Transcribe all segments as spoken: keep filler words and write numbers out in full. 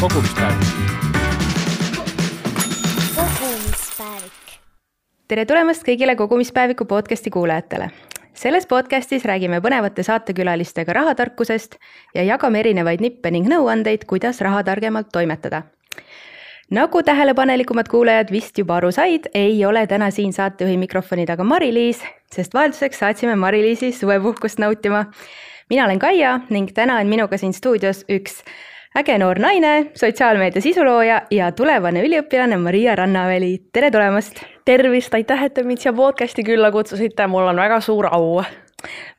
kogumispäevik. kogumispäevik. Tere tulemast kõigile kogumispäeviku podcasti kuulajatele. Selles podcastis räägime põnevate saatekülalistega rahatarkusest ja jagame erinevaid nippe ning nõuandeid, kuidas raha targemalt toimetada. Nagu tähelepanelikumad kuulajad vist juba aru said, ei ole täna siin saatejuhi mikrofoni taga Mari-Liis, sest vahelduseks saatsime Mari-Liisi suvepuhkust nautima. Mina olen Kaia ning täna on minuga siin stuudios üks äge noor naine, sotsiaalmeedia sisulooja ja tulevane üliõpilane Maria Rannaväli. Tere tulemast! Tervist, aitäh, et te mind siia podcasti külla kutsusite. Mul on väga suur au.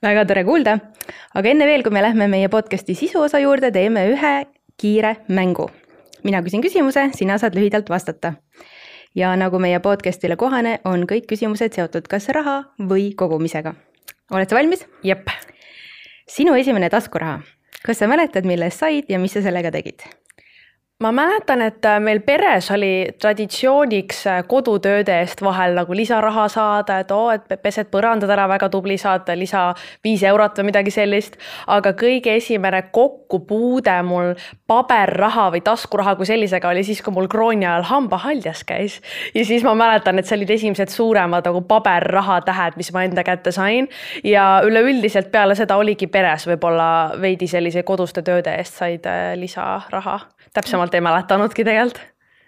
Väga tore kuulda. Aga enne veel, kui me lähme meie podcasti sisuosa juurde, teeme ühe kiire mängu. Mina küsin küsimuse, sina saad lühidalt vastata. Ja nagu meie podcastile kohane, on kõik küsimused seotud kas raha või kogumisega. Oled sa valmis? Jep. Sinu esimene taskuraha. Kas sa mäletad, milles said ja mis sa sellega tegid? Ma mäletan, et meil peres oli traditsiooniks kodutööde eest vahel nagu lisaraha saada, et oo, et pesed põrandad ära, väga tubli saada lisa viis eurot või midagi sellist. Aga kõige esimene kokkupuude mul paberraha või taskuraha kui sellisega oli siis, kui mul krooni ajal hambahaljas käis. Ja siis ma mäletan, et see olid esimesed suuremad nagu paberraha tähed, mis ma enda kätte sain. Ja üleüldiselt peale seda oligi peres võib-olla veidi sellise koduste tööde eest said lisaraha. Täpsemalt ei mäletanudki tegelikult.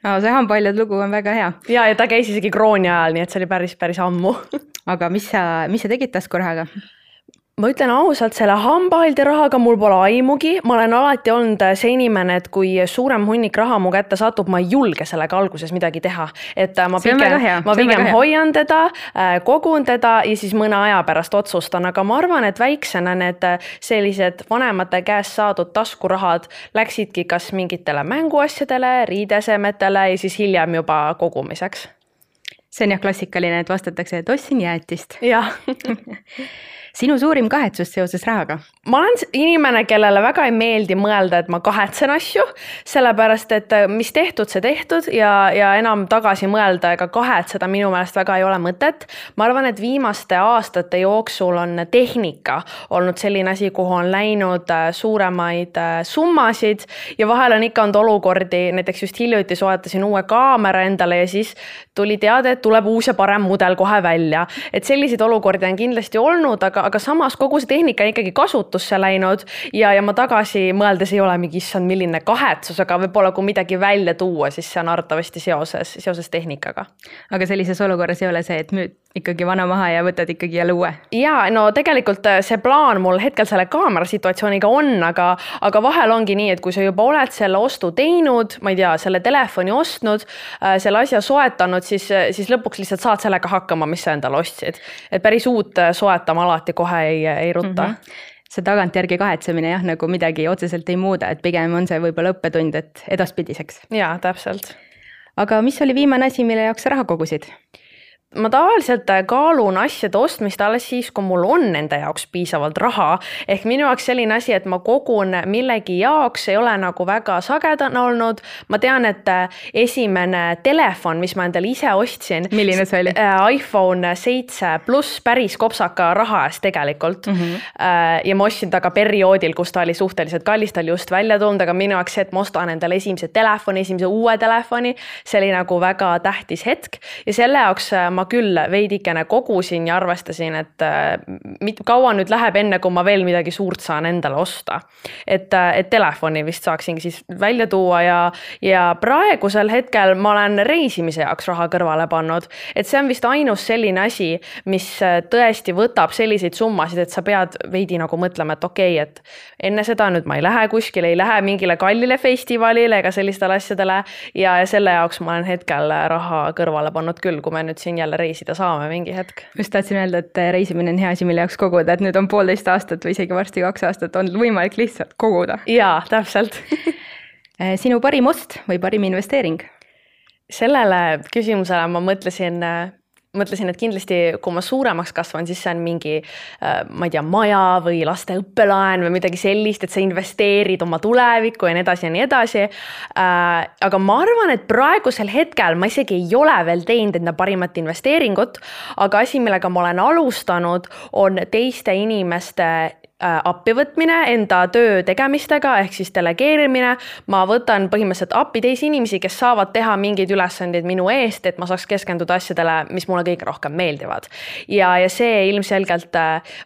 No, see hambahaljad lugu on väga hea. Ja, ja ta käis isegi krooni ajal, nii et see oli päris, päris ammu. Aga mis sa, mis sa tegid taskurahaga? Ma ütlen ausalt, selle hambahalde rahaga mul pole aimugi. Ma olen alati olnud see inimene, et kui suurem hunnik raha mu kätte satub, ma ei julge sellega alguses midagi teha. Et ma pigem, ma pigem hoian teda, kogun teda ja siis mõne aja pärast otsustan. Aga ma arvan, et väiksena need sellised vanemate käest saadud taskurahad läksidki kas mingitele mänguasjadele, riidesemetele ja siis hiljem juba kogumiseks. See on jah klassikaline, et vastatakse, et ostsin jäätist. Jah. Sinu suurim kahetsus seoses rahaga? Ma olen inimene, kellele väga ei meeldi mõelda, et ma kahetsen asju, sellepärast, et mis tehtud, see tehtud ja, ja enam tagasi mõelda ega kahetseda minu meelest väga ei ole mõtet. Ma arvan, et viimaste aastate jooksul on tehnika olnud selline asi, kuhu on läinud suuremaid summasid ja vahel on ikka olnud olukordi, näiteks just hiljuti soetasin uue kaamera endale ja siis tuli teada, et tuleb uus ja parem mudel kohe välja. Et selliseid olukordi on kindlasti olnud, aga aga samas kogu see tehnika on ikkagi kasutusse läinud ja, ja ma tagasi mõeldes ei ole mingi issand milline kahetsus, aga võib-olla kui midagi välja tuua, siis see on arvatavasti seoses, seoses tehnikaga. Aga sellises olukorras ei ole see, et müüd ikkagi vana maha ja võtad ikkagi jälle uue? Jaa, no tegelikult see plaan mul hetkel selle kaamera situatsiooniga on, aga, aga vahel ongi nii, et kui sa juba oled selle ostu teinud, ma ei tea, selle telefoni ostnud, selle asja soetanud, siis, siis lõpuks lihtsalt saad sellega hakkama, mis sa endale ostsid. Et päris uut soetama alati kohe ei, ei rutta. Mm-hmm. See tagantjärgi kahetsemine jah, nagu midagi otseselt ei muuda, et pigem on see võib-olla õppetund, et edaspidiseks. Jaa, täpselt. Aga mis oli viimane asi, mille jaoks raha kogusid? Ma tavaliselt kaalun asjade ostmist alles siis, kui mul on enda jaoks piisavalt raha. Ehk minu jaoks selline asi, et ma kogun millegi jaoks, ei ole nagu väga sagedane olnud. Ma tean, et esimene telefon, mis ma endale ise ostsin. Milline see oli? iPhone seitse pluss päris kopsaka raha eest tegelikult. Mm-hmm. Ja ma ostsin ta ka perioodil, kus ta oli suhteliselt kallis, ta oli just välja tulnud, aga minu jaoks see, et ma ostan endale esimese telefoni, esimese uue telefoni, see oli nagu väga tähtis hetk. Ja selle jaoks ma küll veidikene kogusin ja arvestasin, et mit, kaua nüüd läheb enne, kui ma veel midagi suurt saan endale osta. Et, et telefoni vist saaksingi siis välja tuua ja, ja praegusel hetkel ma olen reisimise jaoks raha kõrvale pannud. Et see on vist ainus selline asi, mis tõesti võtab selliseid summasid, et sa pead veidi nagu mõtlema, et okei, et enne seda nüüd ma ei lähe kuskile, ei lähe mingile kallile festivalile ega sellistele asjadele ja, ja selle jaoks ma olen hetkel raha kõrvale pannud küll, kui me nüüd siin jälle reisida saame mingi hetk. Just tahtsin öelda, et reisimine on hea asi, mille jaoks koguda, et nüüd on poolteist aastat või isegi varsti kaks aastat on võimalik lihtsalt koguda. Jaa, täpselt. Sinu parim ost või parim investeering? Sellele küsimusele ma mõtlesin mõtlesin, et kindlasti kui ma suuremaks kasvan, siis see on mingi, ma ei tea, maja või laste õppelaen või midagi sellist, et sa investeerid oma tulevikku ja nii edasi ja nii edasi. Aga ma arvan, et praegusel hetkel ma isegi ei ole veel teinud enda parimat investeeringut, aga asi, millega ma olen alustanud, on teiste inimeste appivõtmine enda töö tegemistega ehk siis delegeerimine. Ma võtan põhimõtteliselt appi teisi inimesi, kes saavad teha mingeid ülesandeid minu eest, et ma saaks keskenduda asjadele, mis mulle kõige rohkem meeldivad. Ja, ja see ilmselgelt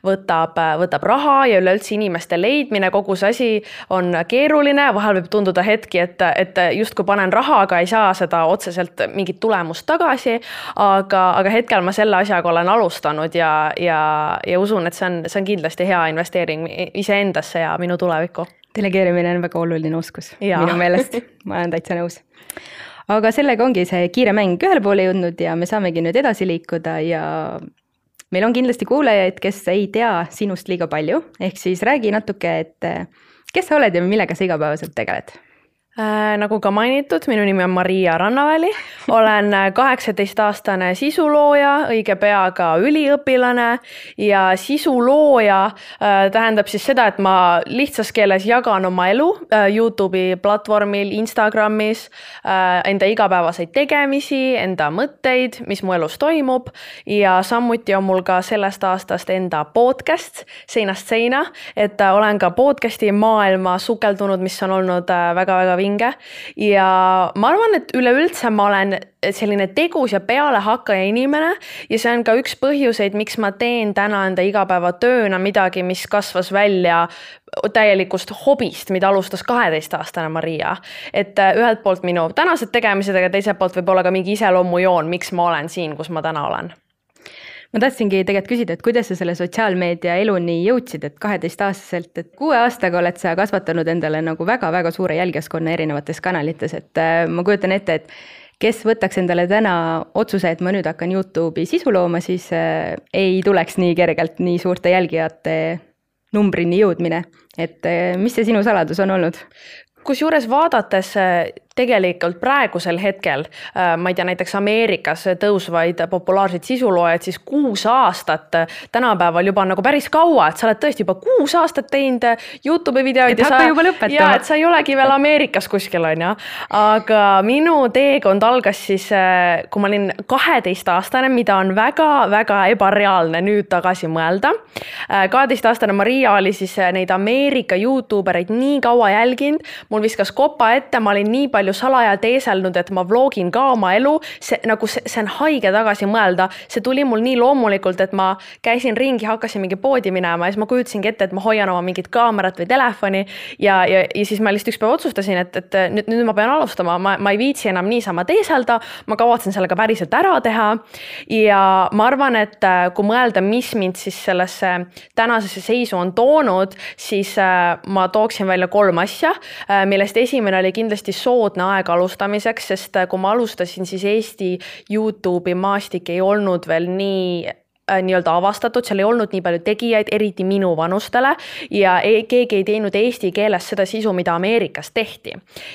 võtab, võtab raha ja üleüldse inimeste leidmine, kogu see asi on keeruline. Vahel võib tunduda hetki, et, et just kui panen raha, aga ei saa seda otseselt mingit tulemust tagasi, aga, aga hetkel ma selle asjaga olen alustanud ja, ja, ja usun, et see on, see on kindlasti hea investeering iseendasse ja minu tulevikku. Delegeerimine on väga oluline oskus ja. Minu meelest. Ma olen täitsa nõus. Aga sellega ongi see kiire mäng ühele poole jõudnud ja me saamegi nüüd edasi liikuda ja meil on kindlasti kuulajaid, kes ei tea sinust liiga palju. Ehk siis räägi natuke, et kes sa oled ja millega sa igapäevaselt tegeled? Äh, nagu ka mainitud, minu nimi on Maria Rannaväli, olen kaheksateist-aastane sisulooja, õige pea ka üliõpilane ja sisulooja äh, tähendab siis seda, et ma lihtsas keeles jagan oma elu äh, YouTube'i platvormil, Instagramis, äh, enda igapäevaseid tegemisi, enda mõtteid, mis mu elus toimub ja samuti on mul ka sellest aastast enda podcast Seinast seina, et äh, olen ka podcasti maailma sukeldunud, mis on olnud väga-väga äh, vinge. Ja ma arvan, et üleüldse ma olen selline tegus ja pealehakkaja inimene ja see on ka üks põhjuseid, miks ma teen täna enda igapäeva tööna midagi, mis kasvas välja täielikust hobist, mida alustas kaheteistaastane Maria. Et ühelt poolt minu tänased tegemised, aga teiselt poolt võib olla ka mingi iseloomujoon, miks ma olen siin, kus ma täna olen. Ma tahtsingi tegelikult küsida, et kuidas sa selle sotsiaalmeedia eluni jõudsid, et kaheteist-aastaselt, et kuue aastaga oled sa kasvatanud endale nagu väga-väga suure jälgijaskonna erinevates kanalites, et ma kujutan ette, et kes võtaks endale täna otsuse, et ma nüüd hakkan YouTube'i sisu looma, siis ei tuleks nii kergelt nii suurte jälgijate numbrini jõudmine. Et mis see sinu saladus on olnud? Kusjuures vaadates tegelikult praegusel hetkel, ma ei tea, näiteks Ameerikas tõusvaid populaarseid sisuloojaid, siis kuus aastat tänapäeval juba on nagu päris kaua, et sa oled tõesti juba kuus aastat teinud YouTube'i videoid. Et hakka juba lõpetama. Ja, et sa ei olegi veel Ameerikas kuskil on ja. Aga minu teekond algas siis, kui ma olin kaheteist-aastane, mida on väga-väga ebareaalne nüüd tagasi mõelda. kaheteist-aastane Maria oli siis neid Ameerika YouTubereid nii kaua jälginud, mul viskas kopa ette, ma olin nii palju salaja teeselnud, et ma vlogin ka oma elu, see, nagu see, see on haige tagasi mõelda, see tuli mul nii loomulikult, et ma käisin ringi, hakkasin mingi poodi minema ja siis ma kujutasingi ette, et ma hoian oma mingit kaamerat või telefoni ja, ja, ja siis ma lihtsalt üks päev otsustasin, et, et nüüd, nüüd ma pean alustama, ma, ma ei viitsi enam niisama teeselda, ma kavatsen sellega päriselt ära teha ja ma arvan, et kui mõelda, mis mind siis sellesse tänasesse seisu on toonud, siis ma tooksin välja kolm asja, millest esimene oli kindlasti soodne aeg alustamiseks, sest kui ma alustasin, siis Eesti YouTube'i maastik ei olnud veel nii nii-öelda avastatud, seal ei olnud nii palju tegijaid, eriti minu vanustele ja keegi ei teinud eesti keeles seda sisu, mida Ameerikas tehti.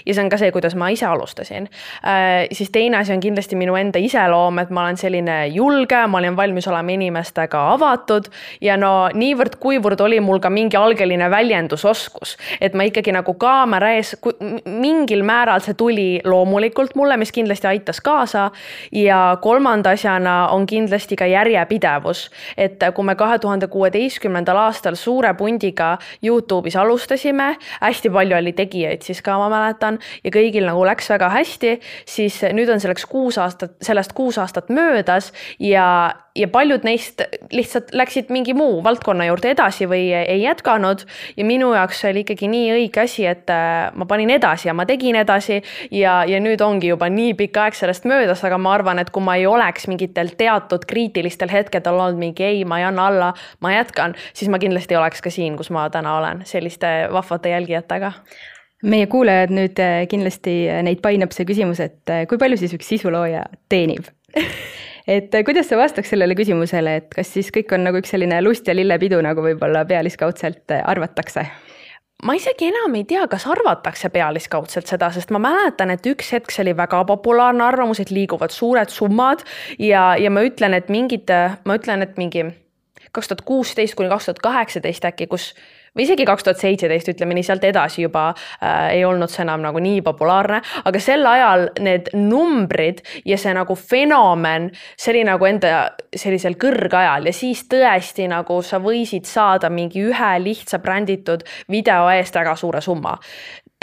Ja see on ka see, kuidas ma ise alustasin. Äh, siis teine asi on kindlasti minu enda iseloom, et ma olen selline julge, ma olen valmis olema inimestega avatud ja no niivõrd kuivõrd oli mul ka mingi algeline väljendusoskus, et ma ikkagi nagu kaamera ees, mingil määral see tuli loomulikult mulle, mis kindlasti aitas kaasa ja kolmanda asjana on kindlasti ka järjepidev. Et kui me kahe tuhande kuueteistkümnendal aastal suure pundiga YouTube'is alustasime, hästi palju oli tegijaid siis ka ma mäletan ja kõigil nagu läks väga hästi, siis nüüd on selleks kuus aastat, sellest kuus aastat möödas ja, ja paljud neist lihtsalt läksid mingi muu valdkonna juurde edasi või ei jätkanud ja minu jaoks oli ikkagi nii õige asi, et ma panin edasi ja ma tegin edasi ja, ja nüüd ongi juba nii pikk aeg sellest möödas, aga ma arvan, et kui ma ei oleks mingitel teatud kriitilistel hetkedel olnud mingi ei, ma ei anna alla, ma jätkan, siis ma kindlasti oleks ka siin, kus ma täna olen, selliste vahvate jälgijatega. Meie kuulajad nüüd kindlasti neid painab see küsimus, et kui palju siis üks sisulooja teenib? Et kuidas sa vastaks sellele küsimusele, et kas siis kõik on nagu üks selline lust ja lillepidu, nagu võib-olla pealiskaudselt arvatakse? Ma isegi enam ei tea, kas arvatakse pealiskaudselt seda, sest ma mäletan, et üks hetk see oli väga populaarne arvamus, et liiguvad suured summad ja, ja ma ütlen, et mingid, ma ütlen, et mingi kaks tuhat kuusteist kuni kaks tuhat kaheksateist äkki, kus või isegi kaks tuhat seitseteist, ütleme nii, sealt edasi juba äh, ei olnud see enam nagu nii populaarne, aga sel ajal need numbrid ja see nagu fenomen, see oli nagu enda sellisel kõrgajal ja siis tõesti nagu sa võisid saada mingi ühe lihtsa bränditud video eest väga suure summa.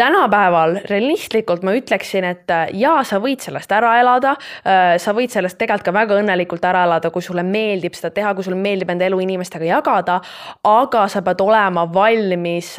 Tänapäeval realistlikult ma ütleksin, et jaa, sa võid sellest ära elada, sa võid sellest tegelikult ka väga õnnelikult ära elada, kui sulle meeldib seda teha, kui sulle meeldib enda elu inimestega jagada, aga sa pead olema valmis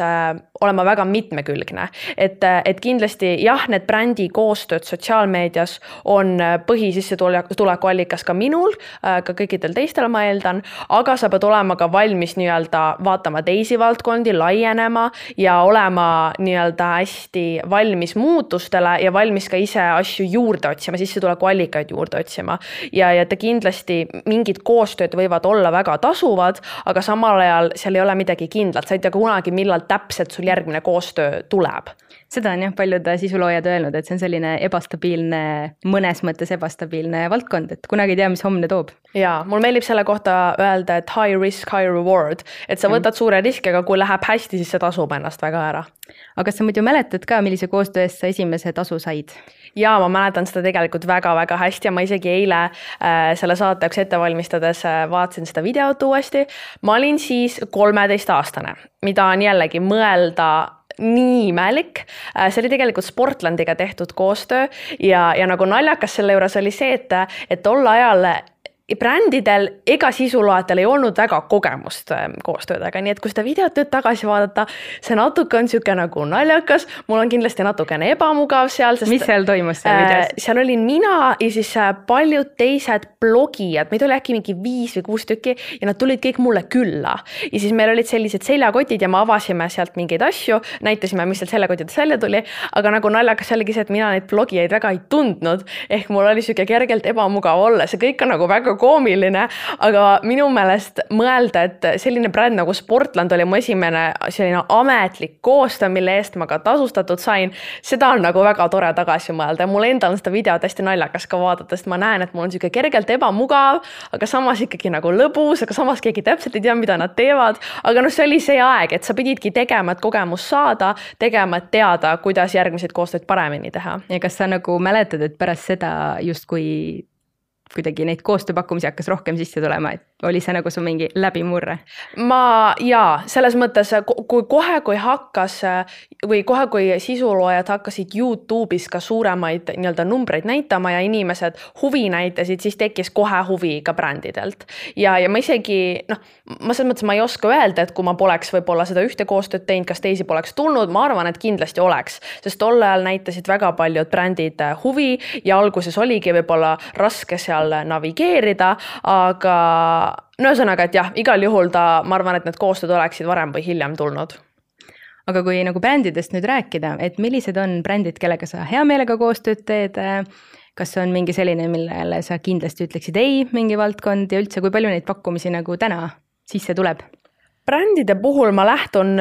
olema väga mitmekülgne. Et, et kindlasti jah, need brändi koostööd sotsiaalmeedias on põhisissetulekuallikas ka minul, ka kõikidel teistel ma eeldan, aga sa pead olema ka valmis nii-öelda vaatama teisi valdkondi, laienema ja olema nii-öelda hästi valmis muutustele ja valmis ka ise asju juurde otsima, sissetulekuallikaid juurde otsima. Ja, ja ta kindlasti mingid koostööd võivad olla väga tasuvad, aga samal ajal seal ei ole midagi kindlat. Sa ei tea kunagi, millal täpselt sul järgmine koostöö tuleb. Seda on jah paljud sisuloojad öelnud, et see on selline ebastabiilne, mõnes mõttes ebastabiilne valdkond, et kunagi ei tea, mis homne toob. Ja, mul meeldib selle kohta öelda, et high risk, high reward, et sa võtad suure riski, aga kui läheb hästi, siis see tasub ennast väga ära. Aga kas sa muidu mäletad ka, millise koostöö eest sa esimese tasu said? Ja ma mäletan seda tegelikult väga-väga hästi ja ma isegi eile äh, selle saate jaoks ette valmistades äh, vaatasin seda videot uuesti. Ma olin siis kolmeteist aastane, mida on jällegi mõelda nii imelik. See oli tegelikult Sportlandiga tehtud koostöö ja, ja nagu naljakas selle juures oli see, et, et tol ajal brändidel ega sisuloajatel ei olnud väga kogemust koostöödega, nii et kui seda videot nüüd tagasi vaadata, see natuke on siuke nagu naljakas, mul on kindlasti natukene ebamugav seal. Sest, mis seal toimus seal videos? Äh, seal olin mina ja siis paljud teised blogijad, meid oli äkki mingi viis või kuus tükki ja nad tulid kõik mulle külla. Ja siis meil olid sellised seljakotid ja me avasime sealt mingeid asju, näitasime, mis sealt seljakotidest välja tuli, aga nagu naljakas oligi see, et mina neid blogijaid väga ei tundnud, ehk mul oli siuke kergelt ebamugav olla, see kõik on nagu väga koomiline, aga minu meelest mõelda, et selline bränd nagu Sportland oli mu esimene selline ametlik koostöö, mille eest ma ka tasustatud sain, seda on nagu väga tore tagasi mõelda ja mul endal on seda videot hästi naljakas ka vaadata, sest ma näen, et mul on siuke kergelt ebamugav, aga samas ikkagi nagu lõbus, aga samas keegi täpselt ei tea, mida nad teevad, aga no see oli see aeg, et sa pididki tegema, et kogemus saada, tegema, et teada, kuidas järgmiseid koostööd paremini teha. Ja kas sa nagu mäletad, et pärast seda justkui kuidagi neid koostööpakkumisi hakkas rohkem sisse tulema, et oli see nagu su mingi läbimurre? Ma jaa, selles mõttes, kui kohe, kui hakkas või kohe, kui sisuloojad hakkasid YouTube'is ka suuremaid nii-öelda numbreid näitama ja inimesed huvi näitasid, siis tekkis kohe huvi ka brändidelt. Ja, ja ma isegi, noh, ma selles mõttes ma ei oska öelda, et kui ma poleks võib-olla seda ühte koostööd teinud, kas teisi poleks tulnud, ma arvan, et kindlasti oleks, sest tol ajal näitasid väga paljud brändid huvi ja alguses oligi võib-olla raske seal navigeerida, aga no ühesõnaga, et jah, igal juhul ta, ma arvan, et need koostööd oleksid varem või hiljem tulnud. Aga kui nagu brändidest nüüd rääkida, et millised on brändid, kellega sa hea meelega koostööd teed, kas on mingi selline, millele sa kindlasti ütleksid ei, mingi valdkond ja üldse, kui palju neid pakkumisi nagu täna sisse tuleb? Brändide puhul ma lähtun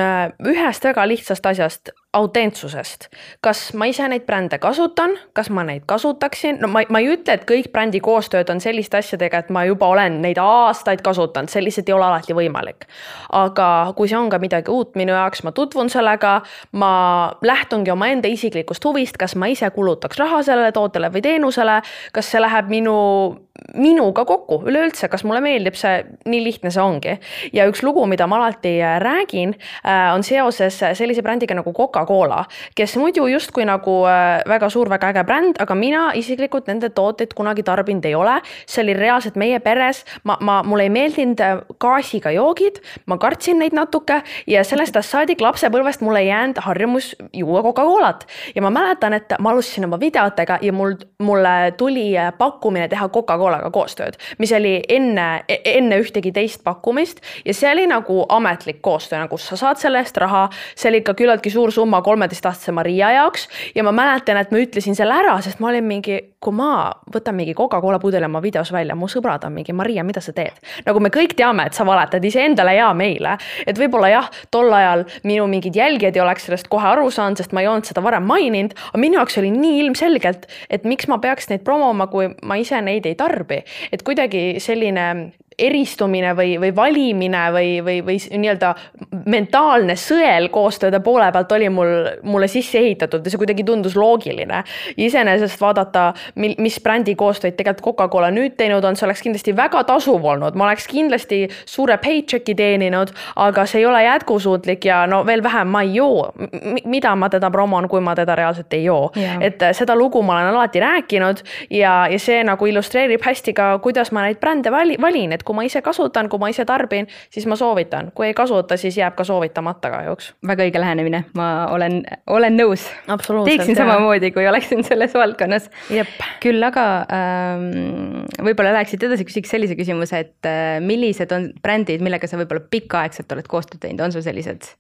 ühest väga lihtsast asjast, autentsusest. Kas ma ise neid brände kasutan, kas ma neid kasutaksin? No ma, ma ei ütle, et kõik brändi koostööd on selliste asjadega, et ma juba olen neid aastaid kasutanud, see lihtsalt ei ole alati võimalik. Aga kui see on ka midagi uut minu jaoks, ma tutvun sellega, ma lähtungi oma enda isiklikust huvist, kas ma ise kulutaks raha sellele tootele või teenusele, kas see läheb minu, minuga kokku üleüldse, kas mulle meeldib see, nii lihtne see ongi. Ja üks lugu, mida ma alati räägin, on seoses sellise brändiga nagu Coca-Cola, kes muidu justkui nagu väga suur, väga äge bränd, aga mina isiklikult nende tooteid kunagi tarbinud ei ole. See oli reaalselt meie peres. Ma, ma, mulle ei meeldinud gaasiga joogid, ma kartsin neid natuke ja sellest saadik lapsepõlvest mulle ei jäänud harjumus juua Coca-Colat. Ja ma mäletan, et ma alustasin oma videotega ja mul, mulle tuli pakkumine teha Coca-Colaga koostööd, mis oli enne, enne ühtegi teist pakkumist ja see oli nagu ametlik koostöö, nagu sa saad selle eest raha, see oli ikka küllaltki suur summa kolmeteistaastase Maria jaoks ja ma mäletan, et ma ütlesin selle ära, sest ma olin mingi, kui ma võtan mingi Coca-Cola pudeli oma videos välja, mu sõbrad on mingi, Maria, mida sa teed? Nagu me kõik teame, et sa valetad ise endale ja meile, et võib-olla jah, tol ajal minu mingid jälgijad ei oleks sellest kohe aru saanud, sest ma ei olnud seda varem maininud, aga minu jaoks oli nii ilmselgelt, et miks ma peaks neid promoma, kui ma ise neid ei tarbi, et kuidagi selline eristumine või, või valimine või, või, või nii-öelda mentaalne sõel koostööde poole pealt oli mul, mulle sisse ehitatud ja see kuidagi tundus loogiline. Iseenesest vaadata, mis brändi koostööd tegelikult Coca-Cola nüüd teinud on, see oleks kindlasti väga tasuv olnud. Ma oleks kindlasti suure paychecki teeninud, aga see ei ole jätkusuutlik ja no veel vähem ma ei joo. Mida ma teda promon, kui ma teda reaalselt ei joo. Yeah. Et seda lugu ma olen alati rääkinud ja, ja see nagu illustreerib hästi ka, kuidas ma neid brände valin, et kui ma ise kasutan, kui ma ise tarbin, siis ma soovitan. Kui ei kasuta, siis jääb ka soovitamata kahjuks. Väga õige lähenemine, ma olen, olen nõus. Teeksin samamoodi, kui oleksin selles valdkonnas. Jep. Küll aga ähm, võib-olla läheksid edasi, küsiks sellise küsimuse, et äh, millised on brändid, millega sa võib-olla pikaaegselt oled koostööd teinud, on sul sellised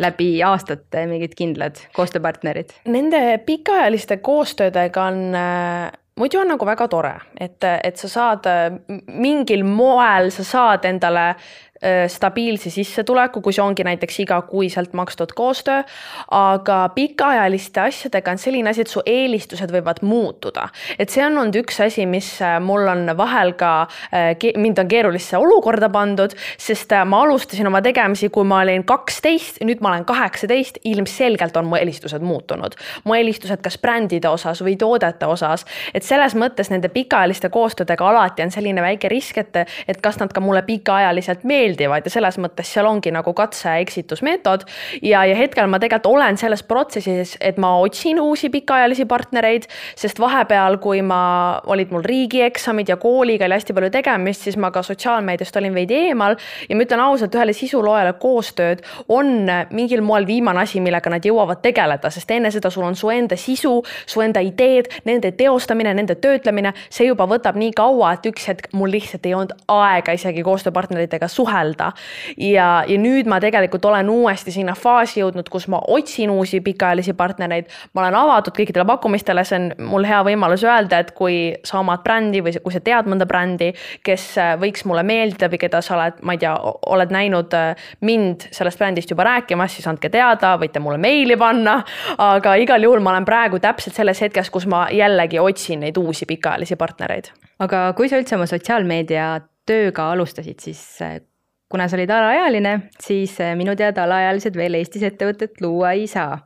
läbi aastate mingid kindlad koostööpartnerid? Nende pikaajaliste koostöödega on, muidu on nagu väga tore, et, et sa saad mingil moel, sa saad endale stabiilse sissetuleku, kui see ongi näiteks igakuiselt makstud koostöö, aga pikaajaliste asjadega on selline asi, et su eelistused võivad muutuda. Et see on olnud üks asi, mis mul on vahel ka, mind on keerulisse olukorda pandud, sest ma alustasin oma tegemisi, kui ma olin kaksteist, nüüd ma olen kaheksateist, ilmselgelt on mu eelistused muutunud. Mu eelistused kas brändide osas või toodete osas, et selles mõttes nende pikaajaliste koostöödega alati on selline väike risk, et, et kas nad ka mulle pikaajaliselt meeldivad ja selles mõttes seal ongi nagu katse- ja eksitusmeetod ja, ja hetkel ma tegelikult olen selles protsessis, et ma otsin uusi pikaajalisi partnereid, sest vahepeal, kui ma olid mul riigieksamid ja kooliga oli hästi palju tegemist, siis ma ka sotsiaalmeediast olin veidi eemal ja ma ütlen ausalt, ühele sisuloojale koostööd on mingil moel viimane asi, millega nad jõuavad tegeleda, sest enne seda sul on su enda sisu, su enda ideed, nende teostamine, nende töötlemine, see juba võtab nii kaua, et üks hetk mul lihtsalt ei olnud aega isegi koostööpartneritega suhelda. Ja, ja nüüd ma tegelikult olen uuesti sinna faasi jõudnud, kus ma otsin uusi pikaajalisi partnereid. Ma olen avatud kõikidele pakkumistele, see on mul hea võimalus öelda, et kui sa omad brändi või kui sa tead mõnda brändi, kes võiks mulle meeldida või keda sa oled, ma ei tea, oled näinud mind sellest brändist juba rääkimas, siis andke teada, võite mulle meili panna, aga igal juhul ma olen praegu täpselt selles hetkes, kus ma jällegi otsin neid uusi pikaajalisi partnereid. Aga kui sa üldse oma sotsiaalmeedia tööga alustasid, siis kuna sa olid alaealine, siis minu teada alaealised veel Eestis ettevõtet luua ei saa.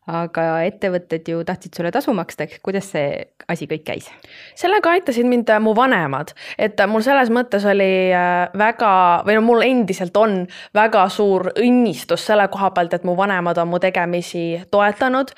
Aga ettevõtted ju tahtsid sulle tasu maksta, kuidas see asi kõik käis? Sellega aitasid mind mu vanemad, et mul selles mõttes oli väga, või no mul endiselt on väga suur õnnistus selle koha pealt, et mu vanemad on mu tegemisi toetanud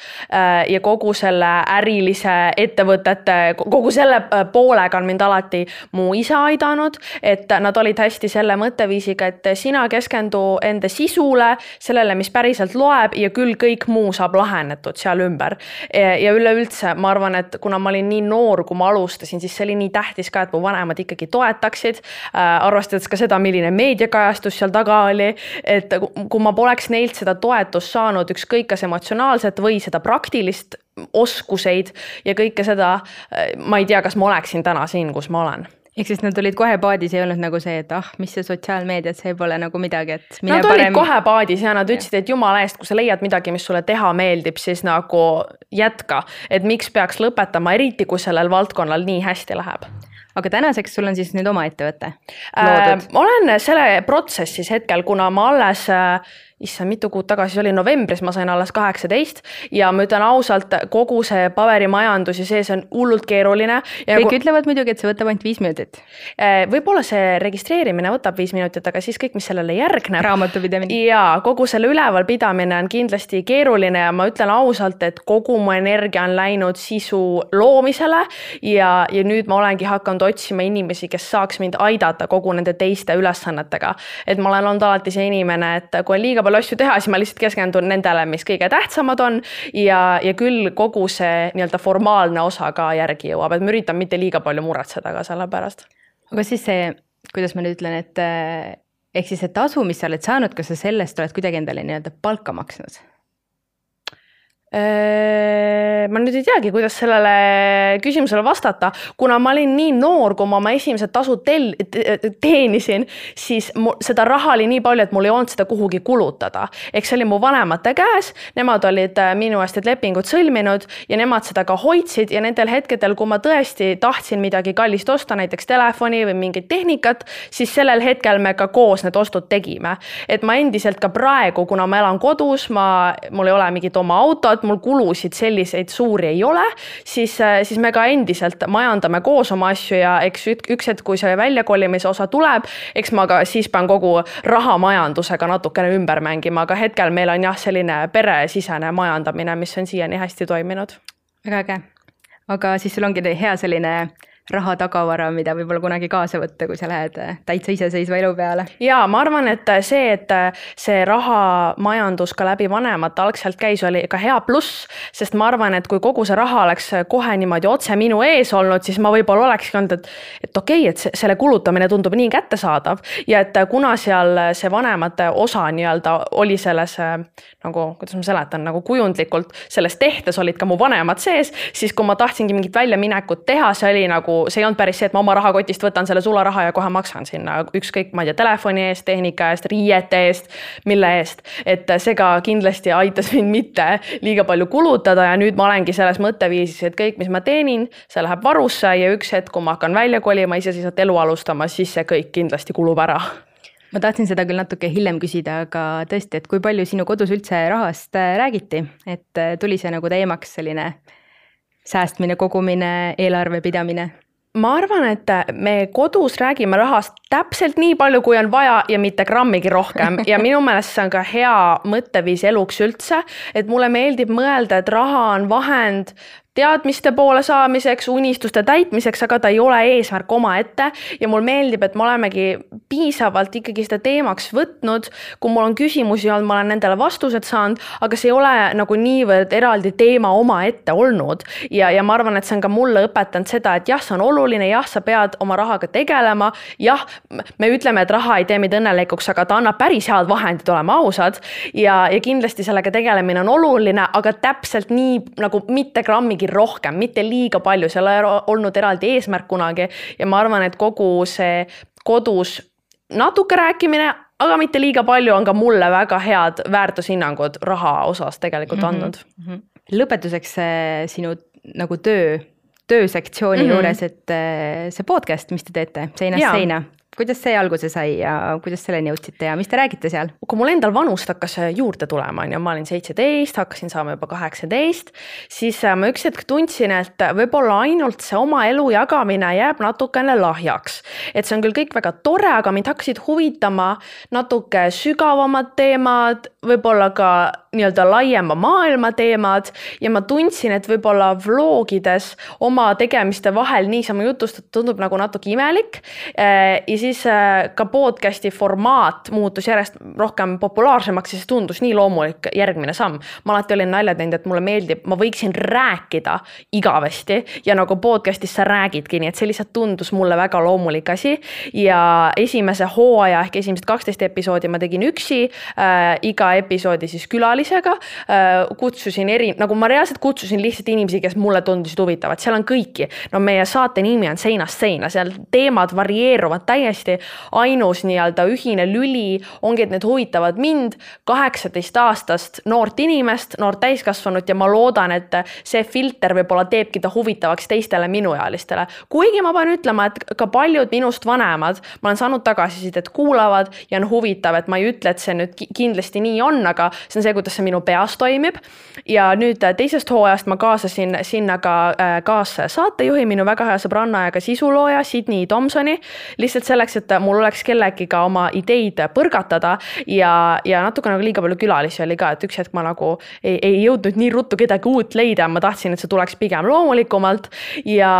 ja kogu selle ärilise ettevõtete, kogu selle poolega on mind alati mu isa aidanud, et nad olid hästi selle mõtteviisiga, et sina keskendu enda sisule, sellele, mis päriselt loeb ja küll kõik muu saab lahendada seal ümber. Ja üleüldse ma arvan, et kuna ma olin nii noor, kui ma alustasin, siis see oli nii tähtis ka, et mu vanemad ikkagi toetaksid, arvestades ka seda, milline meediakajastus seal taga oli, et kui ma poleks neilt seda toetust saanud, ükskõik kas emotsionaalset või seda praktilist oskuseid ja kõike seda, ma ei tea, kas ma oleksin täna siin, kus ma olen. Ehk siis nad olid kohe paadis ja ei olnud nagu see, et ah, mis see sotsiaalmeediat, see pole nagu midagi, et mine nad parem... olid kohe paadis ja nad ütlesid, et jumala eest, kui sa leiad midagi, mis sulle teha meeldib, siis nagu jätka, et miks peaks lõpetama, eriti kui sellel valdkonnal nii hästi läheb. Aga tänaseks sul on siis nüüd oma ettevõte loodud? Äh, olen selle protsessis hetkel, kuna ma alles... issa mitu kuud tagasi oli novembris, ma sain alles kaheksateist ja ma ütlen ausalt, kogu see paberimajandus ja see, see on hullult keeruline. Ja kõik kui... ütlevad muidugi, et see võtab ainult viis minutit. Võib-olla see registreerimine võtab viis minutit, aga siis kõik, mis sellele järgneb. Raamatupidamine. Ja kogu selle ülevalpidamine on kindlasti keeruline ja ma ütlen ausalt, et kogu mu energia on läinud sisu loomisele ja, ja nüüd ma olengi hakanud otsima inimesi, kes saaks mind aidata kogu nende teiste ülesannetega. Et ma olen olnud alati see inimene, et kui on liiga palju asju teha, siis ma lihtsalt keskendun nendele, mis kõige tähtsamad on ja, ja küll kogu see nii-öelda formaalne osa ka järgi jõuab, et ma üritan mitte liiga palju muretseda ka selle pärast. Aga siis see, kuidas ma nüüd ütlen, et ehk siis see tasu, mis sa oled saanud, kas sa sellest oled kuidagi endale nii-öelda palka maksnud? Ma nüüd ei teagi, kuidas sellele küsimusele vastata, kuna ma olin nii noor, kui ma oma esimesed tasud tel- teenisin, siis seda raha oli nii palju, et mul ei olnud seda kuhugi kulutada. Eks see oli mu vanemate käes, nemad olid minu eest et lepingud sõlminud ja nemad seda ka hoidsid ja nendel hetkedel, kui ma tõesti tahtsin midagi kallist osta, näiteks telefoni või mingit tehnikat, siis sellel hetkel me ka koos need ostud tegime. Et ma endiselt ka praegu, kuna ma elan kodus, ma, mul ei ole mingit oma autot, mul kulusid selliseid suuri ei ole, siis, siis me ka endiselt majandame koos oma asju ja eks üks hetk, kui see väljakolimise osa tuleb, eks ma ka siis pean kogu rahamajandusega natukene ümber mängima, aga hetkel meil on jah selline peresisene majandamine, mis on siiani hästi toiminud. Väga äge. Aga siis sul ongi hea selline raha tagavara, mida võib-olla kunagi kaasa võtta, kui sa lähed täitsa iseseisva elu peale. Ja ma arvan, et see, et see raha majandus ka läbi vanemad algselt käis, oli ka hea pluss, sest ma arvan, et kui kogu see raha oleks kohe niimoodi otse minu ees olnud, siis ma võib-olla olekski olnud, et, et okei, et selle kulutamine tundub nii kättesaadav ja et kuna seal see vanemate osa nii-öelda oli selles, nagu, kuidas ma seletan, nagu kujundlikult selles tehtes olid ka mu vanemad sees, siis kui ma tahtsingi mingit väljaminekut teha, see oli nagu see ei olnud päris see, et ma oma rahakotist võtan selle sularaha ja kohe maksan sinna ükskõik, ma ei tea, telefoni eest, tehnika eest, riiete eest, mille eest. Et see ka kindlasti aitas mind mitte liiga palju kulutada ja nüüd ma olengi selles mõtteviisis, et kõik, mis ma teenin, see läheb varusse ja üks hetk, kui ma hakkan välja kolima, iseseisvat elu alustama, siis see kõik kindlasti kulub ära. Ma tahtsin seda küll natuke hiljem küsida, aga tõesti, et kui palju sinu kodus üldse rahast räägiti, et tuli see nagu teemaks selline säästmine, kogumine, eelarve pidamine? Ma arvan, et me kodus räägime rahast täpselt nii palju, kui on vaja ja mitte grammigi rohkem. Ja minu meelest see on ka hea mõtteviis eluks üldse, et mulle meeldib mõelda, et raha on vahend teadmiste poole saamiseks, unistuste täitmiseks, aga ta ei ole eesmärk oma ette ja mul meeldib, et me olemegi piisavalt ikkagi seda teemaks võtnud, kui mul on küsimusi olnud, ma olen nendele vastused saanud, aga see ei ole nagu niivõrd eraldi teema oma ette olnud ja, ja ma arvan, et see on ka mulle õpetanud seda, et jah, see on oluline, jah, sa pead oma rahaga tegelema, jah, me ütleme, et raha ei tee meid õnnelikuks, aga ta annab päris head vahendid, olema ausad ja, ja kindlasti sellega tegelemine on oluline, aga täpselt nii nagu mitte grammigi rohkem, mitte liiga palju, seal ei olnud eraldi eesmärk kunagi ja ma arvan, et kogu see kodus natuke rääkimine, aga mitte liiga palju on ka mulle väga head väärtushinnangud raha osas tegelikult andnud. Mm-hmm. Lõpetuseks sinu nagu töö, töösektsiooni mm-hmm. juures, et see podcast, mis te teete, seinast ja. Seina. Kuidas see alguse sai ja kuidas selleni jõudsite ja mis te räägite seal? Kui mul endal vanust hakkas juurde tulema, ja ma olin seitseteist, hakkasin saama juba kaheksateist, siis ma üks hetk tundsin, et võib-olla ainult see oma elu jagamine jääb natukene lahjaks. Et see on küll kõik väga tore, aga mind hakkasid huvitama natuke sügavamad teemad, võib-olla ka nii-öelda laiema maailma teemad ja ma tundsin, et võib-olla vlogides oma tegemiste vahel niisama jutustad tundub nagu natuke imelik ja siis ka podcasti formaat muutus järjest rohkem populaarsemaks ja see tundus nii loomulik järgmine samm. Ma alati olin nalja teinud, et mulle meeldib, ma võiksin rääkida igavesti ja nagu podcastis sa räägidki, nii et see lihtsalt tundus mulle väga loomulik asi ja esimese hooaja ehk esimesed kaksteist episoodi ma tegin üksi, äh, iga episoodi siis külalisega, äh, kutsusin eri, nagu ma reaalselt kutsusin lihtsalt inimesi, kes mulle tundusid huvitavad, seal on kõiki, no meie saate nimi on Seinast seina, seal teemad varieeruvad täiesti, ainus nii-öelda ühine lüli ongi, et need huvitavad mind, kaheksateist aastast noort inimest, noort täiskasvanut ja ma loodan, et see filter võib-olla teebki ta huvitavaks teistele minuealistele. Kuigi ma pean ütlema, et ka paljud minust vanemad, ma olen saanud tagasisidet, et kuulavad ja on huvitav, et ma ei ütle, et see nüüd kindlasti nii on, aga see on see, kuidas see minu peas toimib. Ja nüüd teisest hooajast ma kaasasin sinna ka kaas saatejuhi, minu väga hea sõbranna ja ka sisulooja Sydney Thompsoni, lihtsalt selleks, et mul oleks kellegi ka oma ideid põrgatada ja, ja natuke nagu liiga palju külalisi oli ka, et üks hetk ma nagu ei, ei jõudnud nii ruttu kedagi uut leida, ma tahtsin, et see tuleks pigem loomulikumalt ja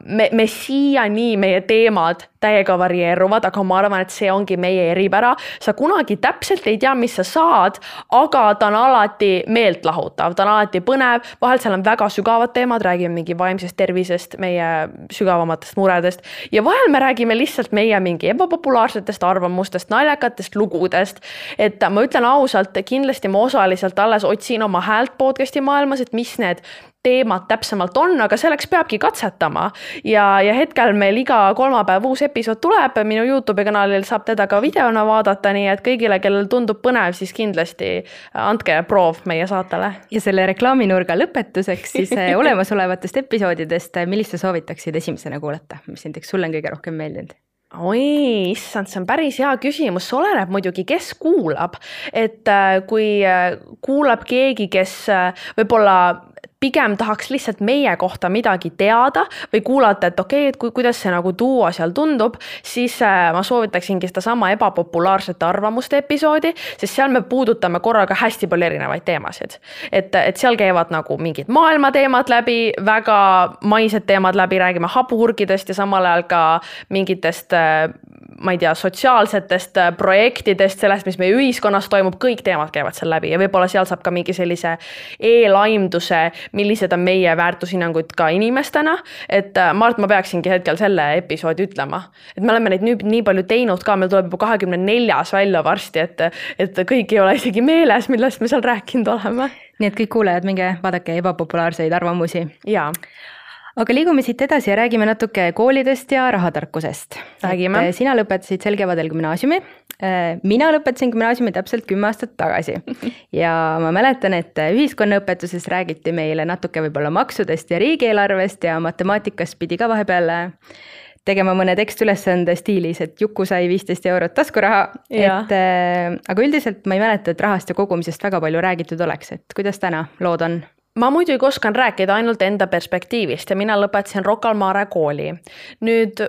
me, me siiani meie teemad täiega varieeruvad, aga ma arvan, et see ongi meie eripära. Sa kunagi täpselt ei tea, mis sa saad, aga ta on alati meelt lahutav, ta on alati põnev, vahel seal on väga sügavad teemad, räägime mingi vaimsest tervisest, meie sügavamatest muredest ja vahel me räägime lihtsalt meie mingi ebapopulaarsetest arvamustest, naljakatest lugudest, et ma ütlen ausalt, kindlasti ma osaliselt alles otsin oma häält podcasti maailmas, et mis need teemad täpsemalt on, aga selleks peabki katsetama ja, ja hetkel meil iga kolmapäev uus episood tuleb, minu YouTube kanalil saab teda ka videona vaadata, nii et kõigile, kellel tundub põnev, siis kindlasti andke proov meie saatele. Ja selle reklaaminurga lõpetuseks siis olemasolevatest episoodidest, millist sa soovitaksid esimesena kuulata, mis näiteks sulle on kõige rohkem meeldinud? Oi, issand, see on päris hea küsimus, see oleneb muidugi, kes kuulab, et kui kuulab keegi, kes võib-olla pigem tahaks lihtsalt meie kohta midagi teada või kuulata, et okei, et kui, kuidas see nagu duo seal tundub, siis ma soovitaksingi seda sama ebapopulaarsete arvamuste episoodi, sest seal me puudutame korraga hästi palju erinevaid teemasid. Et, et seal käivad nagu mingid maailma teemad läbi, väga maised teemad läbi, räägime hapuhurgidest ja samal ajal ka mingitest ma ei tea, sotsiaalsetest projektidest, sellest, mis meie ühiskonnas toimub, kõik teemad käivad seal läbi ja võib-olla seal saab ka mingi sellise eelaimduse, millised on meie väärtushinnangud ka inimestena, et ma arvan, ma peaksingi hetkel selle episoodi ütlema, et me oleme neid nüüd nii palju teinud ka, meil tuleb juba kahekümne neljas välja varsti, et, et kõik ei ole isegi meeles, millest me seal rääkinud oleme. Nii et kõik kuulejad, minge vaadake ebapopulaarseid arvamusi. Jaa. Aga liigume siit edasi ja räägime natuke koolidest ja rahatarkusest. Räägime. Et sina lõpetasid sel kevadel gümnaasiumi. Mina lõpetasin gümnaasiumi täpselt kümme aastat tagasi. Ja ma mäletan, et ühiskonnaõpetuses räägiti meile natuke võib-olla maksudest ja riigieelarvest ja matemaatikast pidi ka vahepeal tegema mõne tekstülesande stiilis, et Juku sai viisteist eurot taskuraha. Et, aga üldiselt ma ei mäleta, et rahast ja kogumisest väga palju räägitud oleks. Et kuidas täna lood on? Ma muidugi oskan rääkida ainult enda perspektiivist ja mina lõpetasin Rocca al Mare kooli. Nüüd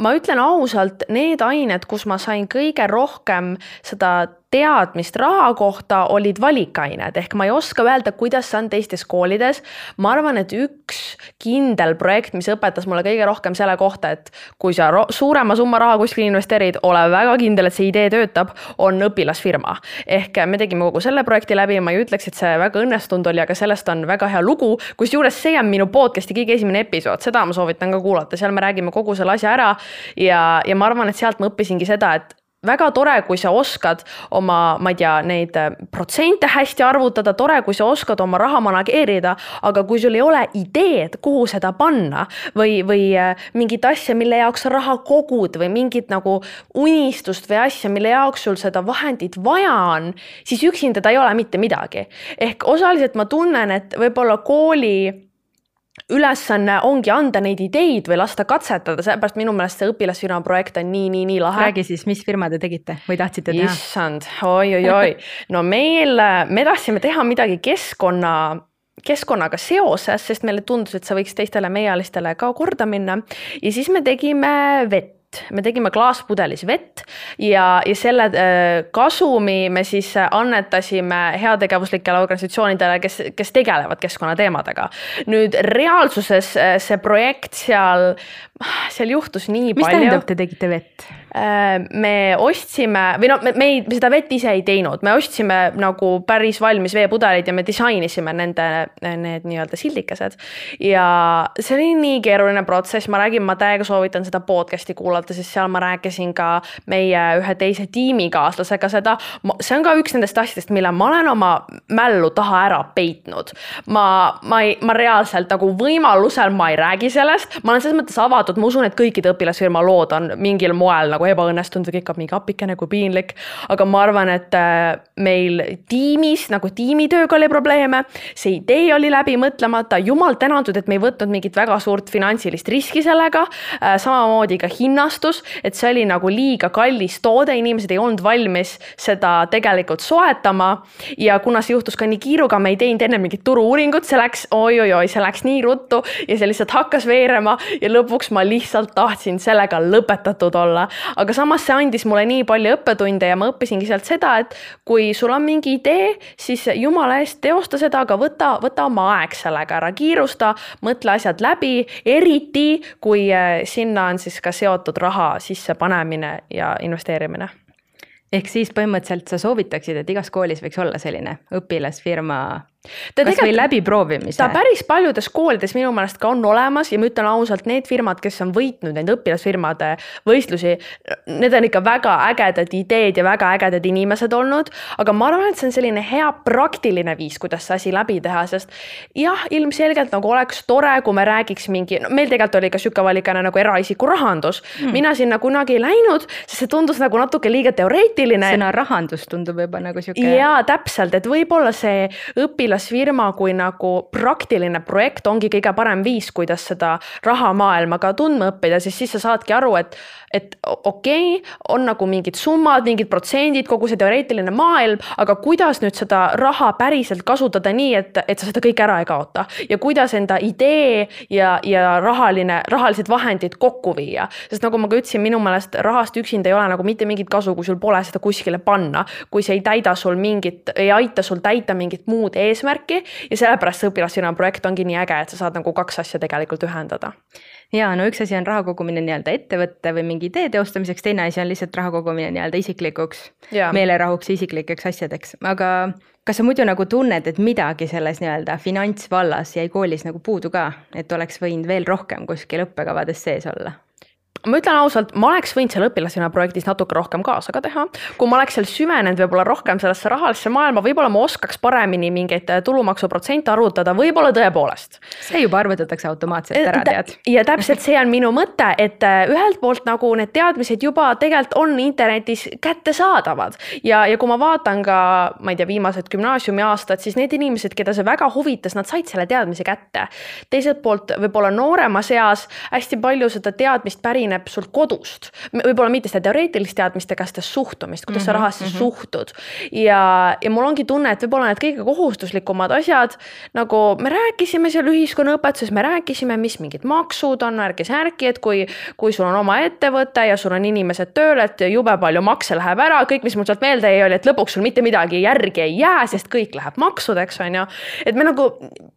ma ütlen ausalt, need ained, kus ma sain kõige rohkem seda teadmist raha kohta, olid valikained, ehk ma ei oska öelda, kuidas see on teistes koolides. Ma arvan, et üks kindel projekt, mis õpetas mulle kõige rohkem selle kohta, et kui sa suurema summa raha kuskil investeerid, ole väga kindel, et see idee töötab, on õpilasfirma. Ehk me tegime kogu selle projekti läbi, ma ei ütleks, et see väga õnnestunud oli, aga sellest on väga hea lugu, kus juures see on minu podcasti kõige esimene episood, seda ma soovitan ka kuulata, seal me räägime kogu selle asja ära ja, ja ma arvan, et sealt ma õppisingi seda, et väga tore, kui sa oskad oma, ma ei tea, neid protsente hästi arvutada, tore, kui sa oskad oma raha manageerida, aga kui sul ei ole ideed, kuhu seda panna või, või mingit asja, mille jaoks sa raha kogud või mingit nagu unistust või asja, mille jaoks sul seda vahendit vaja on, siis üksinda ta ei ole mitte midagi. Ehk osaliselt ma tunnen, et võib-olla kooli ülesanne ongi anda neid ideid või lasta katsetada, seepärast minu meelest see õpilasfirma projekt on nii, nii, nii lahe. Räägi siis, mis firma te tegite või tahtsite teha? Issand, oi, oi, oi. No meil, me tahtsime teha midagi keskkonna, keskkonnaga seoses, sest meile tundus, et see võiks teistele meealistele ka korda minna. Ja siis me tegime vett. Me tegime klaaspudelis vett ja, ja selle kasumi me siis annetasime heategevuslikele organisatsioonidele, kes, kes tegelevad keskkonnateemadega. Nüüd reaalsuses see projekt seal, seal juhtus nii Mis palju. Mis tähendab, te tegite vett? Me ostsime, või no me, me, ei, me seda vett ise ei teinud, me ostsime nagu päris valmis veepudelid ja me disainisime nende need nii-öelda sildikesed. Ja see oli nii keeruline protsess, ma räägin, ma täiega soovitan seda podcasti kuulata, sest seal ma rääkisin ka meie ühe teise tiimikaaslasega seda. See on ka üks nendest asjadest, mille ma olen oma mällu taha ära peitnud. Ma, ma, ei, ma reaalselt nagu võimalusel ma ei räägi sellest, ma olen selles mõttes avatud, ma usun, et kõikide õpilasfirma lood on mingil moel nagu ebaõnnestunud või kõik on mingi apikene kui piinlik, aga ma arvan, et meil tiimis, nagu tiimitööga oli probleeme, see idee oli läbi mõtlemata, jumal tänatud, et me ei võtnud mingit väga suurt finantsilist riski sellega, samamoodi ka hinnastus, et see oli nagu liiga kallis toode, inimesed ei olnud valmis seda tegelikult soetama ja kuna see juhtus ka nii kiiruga, me ei teinud enne mingit turu-uuringut, see läks, oi, oi, oi, see läks nii ruttu ja see lihtsalt hakkas veerema ja lõpuks ma lihtsalt tahtsin sellega lõpetatud olla. aga samas see andis mulle nii palju õppetunde ja ma õppisingi sealt seda, et kui sul on mingi idee, siis jumala eest teosta seda, aga võta, võta oma aeg sellega ära, kiirusta, mõtle asjad läbi, eriti kui sinna on siis ka seotud raha sisse panemine ja investeerimine. Ehk siis põhimõtteliselt sa soovitaksid, et igas koolis võiks olla selline õpilasfirma Ta kas või läbi proovimise? Ta päris paljudes koolides minu meelest ka on olemas ja ma ütlen ausalt, need firmad, kes on võitnud need õpilasfirmade võistlusi, need on ikka väga ägedad ideed ja väga ägedad inimesed olnud, aga ma arvan, et see on selline hea praktiline viis, kuidas see asi läbi teha, sest jah, ilmselgelt nagu oleks tore, kui me räägiks mingi, no, meil tegelikult oli ka süke valikane nagu eraisiku rahandus. Hmm. Mina sinna kunagi ei läinud, sest see tundus nagu natuke liiga teoreetiline. Sõna rahandus tundub juba nagu süke. Jaa, täpselt, et võib-olla see õpilas firma kui nagu praktiline projekt ongi kõige parem viis, kuidas seda rahamaailma ka tundma õppida, siis siis sa saadki aru, et, et okei, okay, on nagu mingid summad, mingid protsendid, kogu see teoreetiline maailm, aga kuidas nüüd seda raha päriselt kasutada nii, et, et sa seda kõik ära ei kaota ja kuidas enda idee ja, ja rahaline, rahalised vahendid kokku viia. Sest nagu ma ka ütlesin, minu meelest rahast üksinda ei ole nagu mitte mingit kasu, kui sul pole seda kuskile panna, kui see ei täida sul mingit, ei aita sul täita mingit muud eesmärki, märki ja sellepärast see õpilasfirma projekt ongi nii äge, et sa saad nagu kaks asja tegelikult ühendada. Ja no üks asi on raha kogumine nii-öelda ettevõtte või mingi idee teostamiseks, teine asi on lihtsalt raha kogumine nii-öelda isiklikuks ja. meelerahuks ja isiklikeks asjadeks. Aga kas sa muidu nagu tunned, et midagi selles nii-öelda finantsvallas jäi koolis nagu puudu ka, et oleks võinud veel rohkem kuskil õppekavades sees olla? Ma ütlen ausalt, ma oleks võinud seal õpilasfirma projektis natuke rohkem kaasa ka teha. Kui ma oleks seal süvenenud võib-olla rohkem sellesse rahalisse maailma, võib-olla ma oskaks paremini mingeid tulumaksuprotsente arvutada, võib-olla tõepoolest. See juba arvutatakse automaatselt ära, tead. Ja täpselt see on minu mõte, et ühelt poolt nagu need teadmised juba tegelikult on internetis kättesaadavad. Ja, ja kui ma vaatan ka, ma ei tea, viimased gümnaasiumi aastad, siis need inimesed, keda see väga huvitas, nad said selle teadmise kätte. Teiselt poolt võib-olla noorema seas hästi palju seda teadmist pärineb sul kodust. Võib-olla mitte seda teoreetilist teadmist, aga seda suhtumist, kuidas mm-hmm, sa rahasse mm-hmm. suhtud. Ja, ja mul ongi tunne, et võib-olla need kõige kohustuslikumad asjad, nagu me rääkisime seal ühiskonnaõpetuses, me rääkisime, mis mingid maksud on, ärgi särki, et kui, kui sul on oma ettevõte ja sul on inimesed tööl, et jube palju makse läheb ära, kõik, mis mul sealt meelde ei oli, et lõpuks sul mitte midagi järgi ei jää, sest kõik läheb maksudeks, on ju. Et me nagu,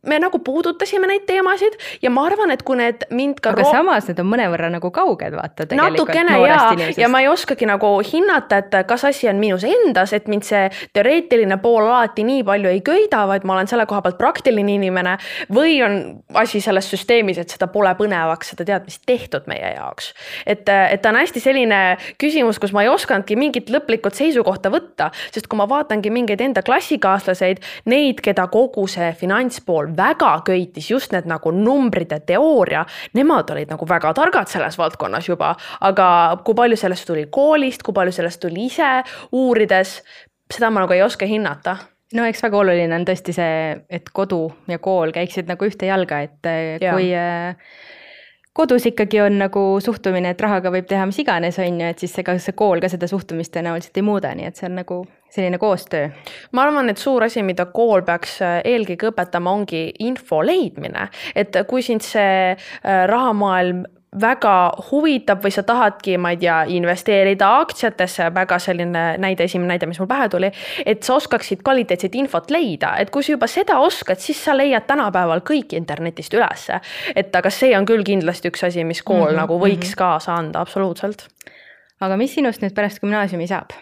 me nagu puudutasime neid teemasid ja ma arvan, et kui need mind ka aga ro- samas need on mõnevõrra nagu kauged, vaata natukene ja, ja ma ei oskagi nagu hinnata, et kas asi on minus endas, et mind see teoreetiline pool alati nii palju ei köida, vaid ma olen selle koha pealt praktiline inimene või on asi selles süsteemis, et seda pole põnevaks, seda teadmist tehtud meie jaoks. Et, et ta on hästi selline küsimus, kus ma ei oskanudki mingit lõplikult seisukohta võtta, sest kui ma vaatangi mingeid enda klassikaaslaseid, neid, keda kogu see finantspool väga köitis, just need nagu numbride teooria, nemad olid nagu väga targad selles valdkonnas juba, aga kui palju sellest tuli koolist, kui palju sellest tuli ise uurides, seda ma nagu ei oska hinnata. No eks väga oluline on tõesti see, et kodu ja kool käiksid nagu ühte jalga, et ja. kui kodus ikkagi on nagu suhtumine, et rahaga võib teha mis iganes, on ju, et siis see, ka see kool ka seda suhtumist tõenäoliselt ei muuda, nii et see on nagu selline koostöö. Ma arvan, et suur asi, mida kool peaks eelkõige õpetama, ongi info leidmine, et kui sind see rahamaailm väga huvitab või sa tahadki, ma ei tea, investeerida aktsiatesse, väga selline näide, esimene näide, mis mul pähe tuli, et sa oskaksid kvaliteetset infot leida, et kui sa juba seda oskad, siis sa leiad tänapäeval kõik internetist ülesse. Et aga see on küll kindlasti üks asi, mis kool mm-hmm, nagu võiks mm-hmm. kaasa anda, absoluutselt. Aga mis sinust nüüd pärast gümnaasiumi saab?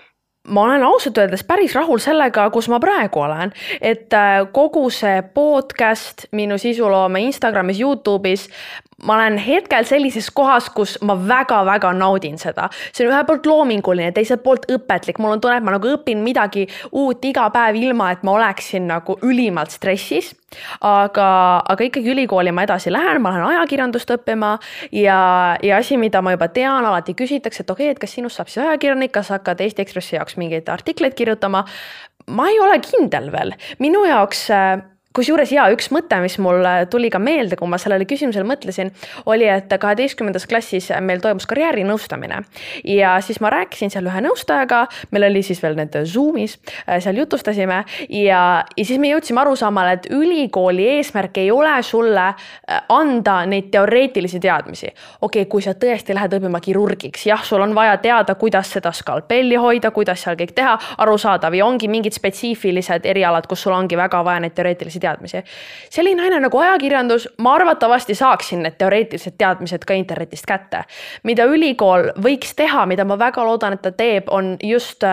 Ma olen ausalt öeldes päris rahul sellega, kus ma praegu olen, et kogu see podcast, minu sisuloome Instagramis, YouTube'is, ma olen hetkel sellises kohas, kus ma väga-väga naudin seda. See on ühe poolt loominguline, teiselt poolt õpetlik. Mul on tunne, et ma nagu õpin midagi uut iga päev ilma, et ma oleksin nagu ülimalt stressis. Aga, aga ikkagi ülikooli ma edasi lähen, ma lähen ajakirjandust õppima ja, ja asi, mida ma juba tean, alati küsitakse, et okei, et kas sinust saab siis ajakirjanik, kas hakkad Eesti Ekspressi jaoks mingeid artikleid kirjutama. Ma ei ole kindel veel. Minu jaoks kusjuures ja üks mõte, mis mul tuli ka meelde, kui ma sellele küsimusele mõtlesin, oli, et kaheteistkümnendas klassis meil toimus karjäärinõustamine ja siis ma rääkisin seal ühe nõustajaga, meil oli siis veel need Zoomis, seal jutustasime ja, ja siis me jõudsime arusaamale, et ülikooli eesmärk ei ole sulle anda neid teoreetilisi teadmisi. Okei, kui sa tõesti lähed õppima kirurgiks, jah, sul on vaja teada, kuidas seda skalpelli hoida, kuidas seal kõik teha, arusaadav ja ongi mingid spetsiifilised erialad, kus sul ongi väga vaja neid teoreetilisi teadmisi. Selline aine nagu ajakirjandus, ma arvatavasti saaksin need teoreetilised teadmised ka internetist kätte. Mida ülikool võiks teha, mida ma väga loodan, et ta teeb, on just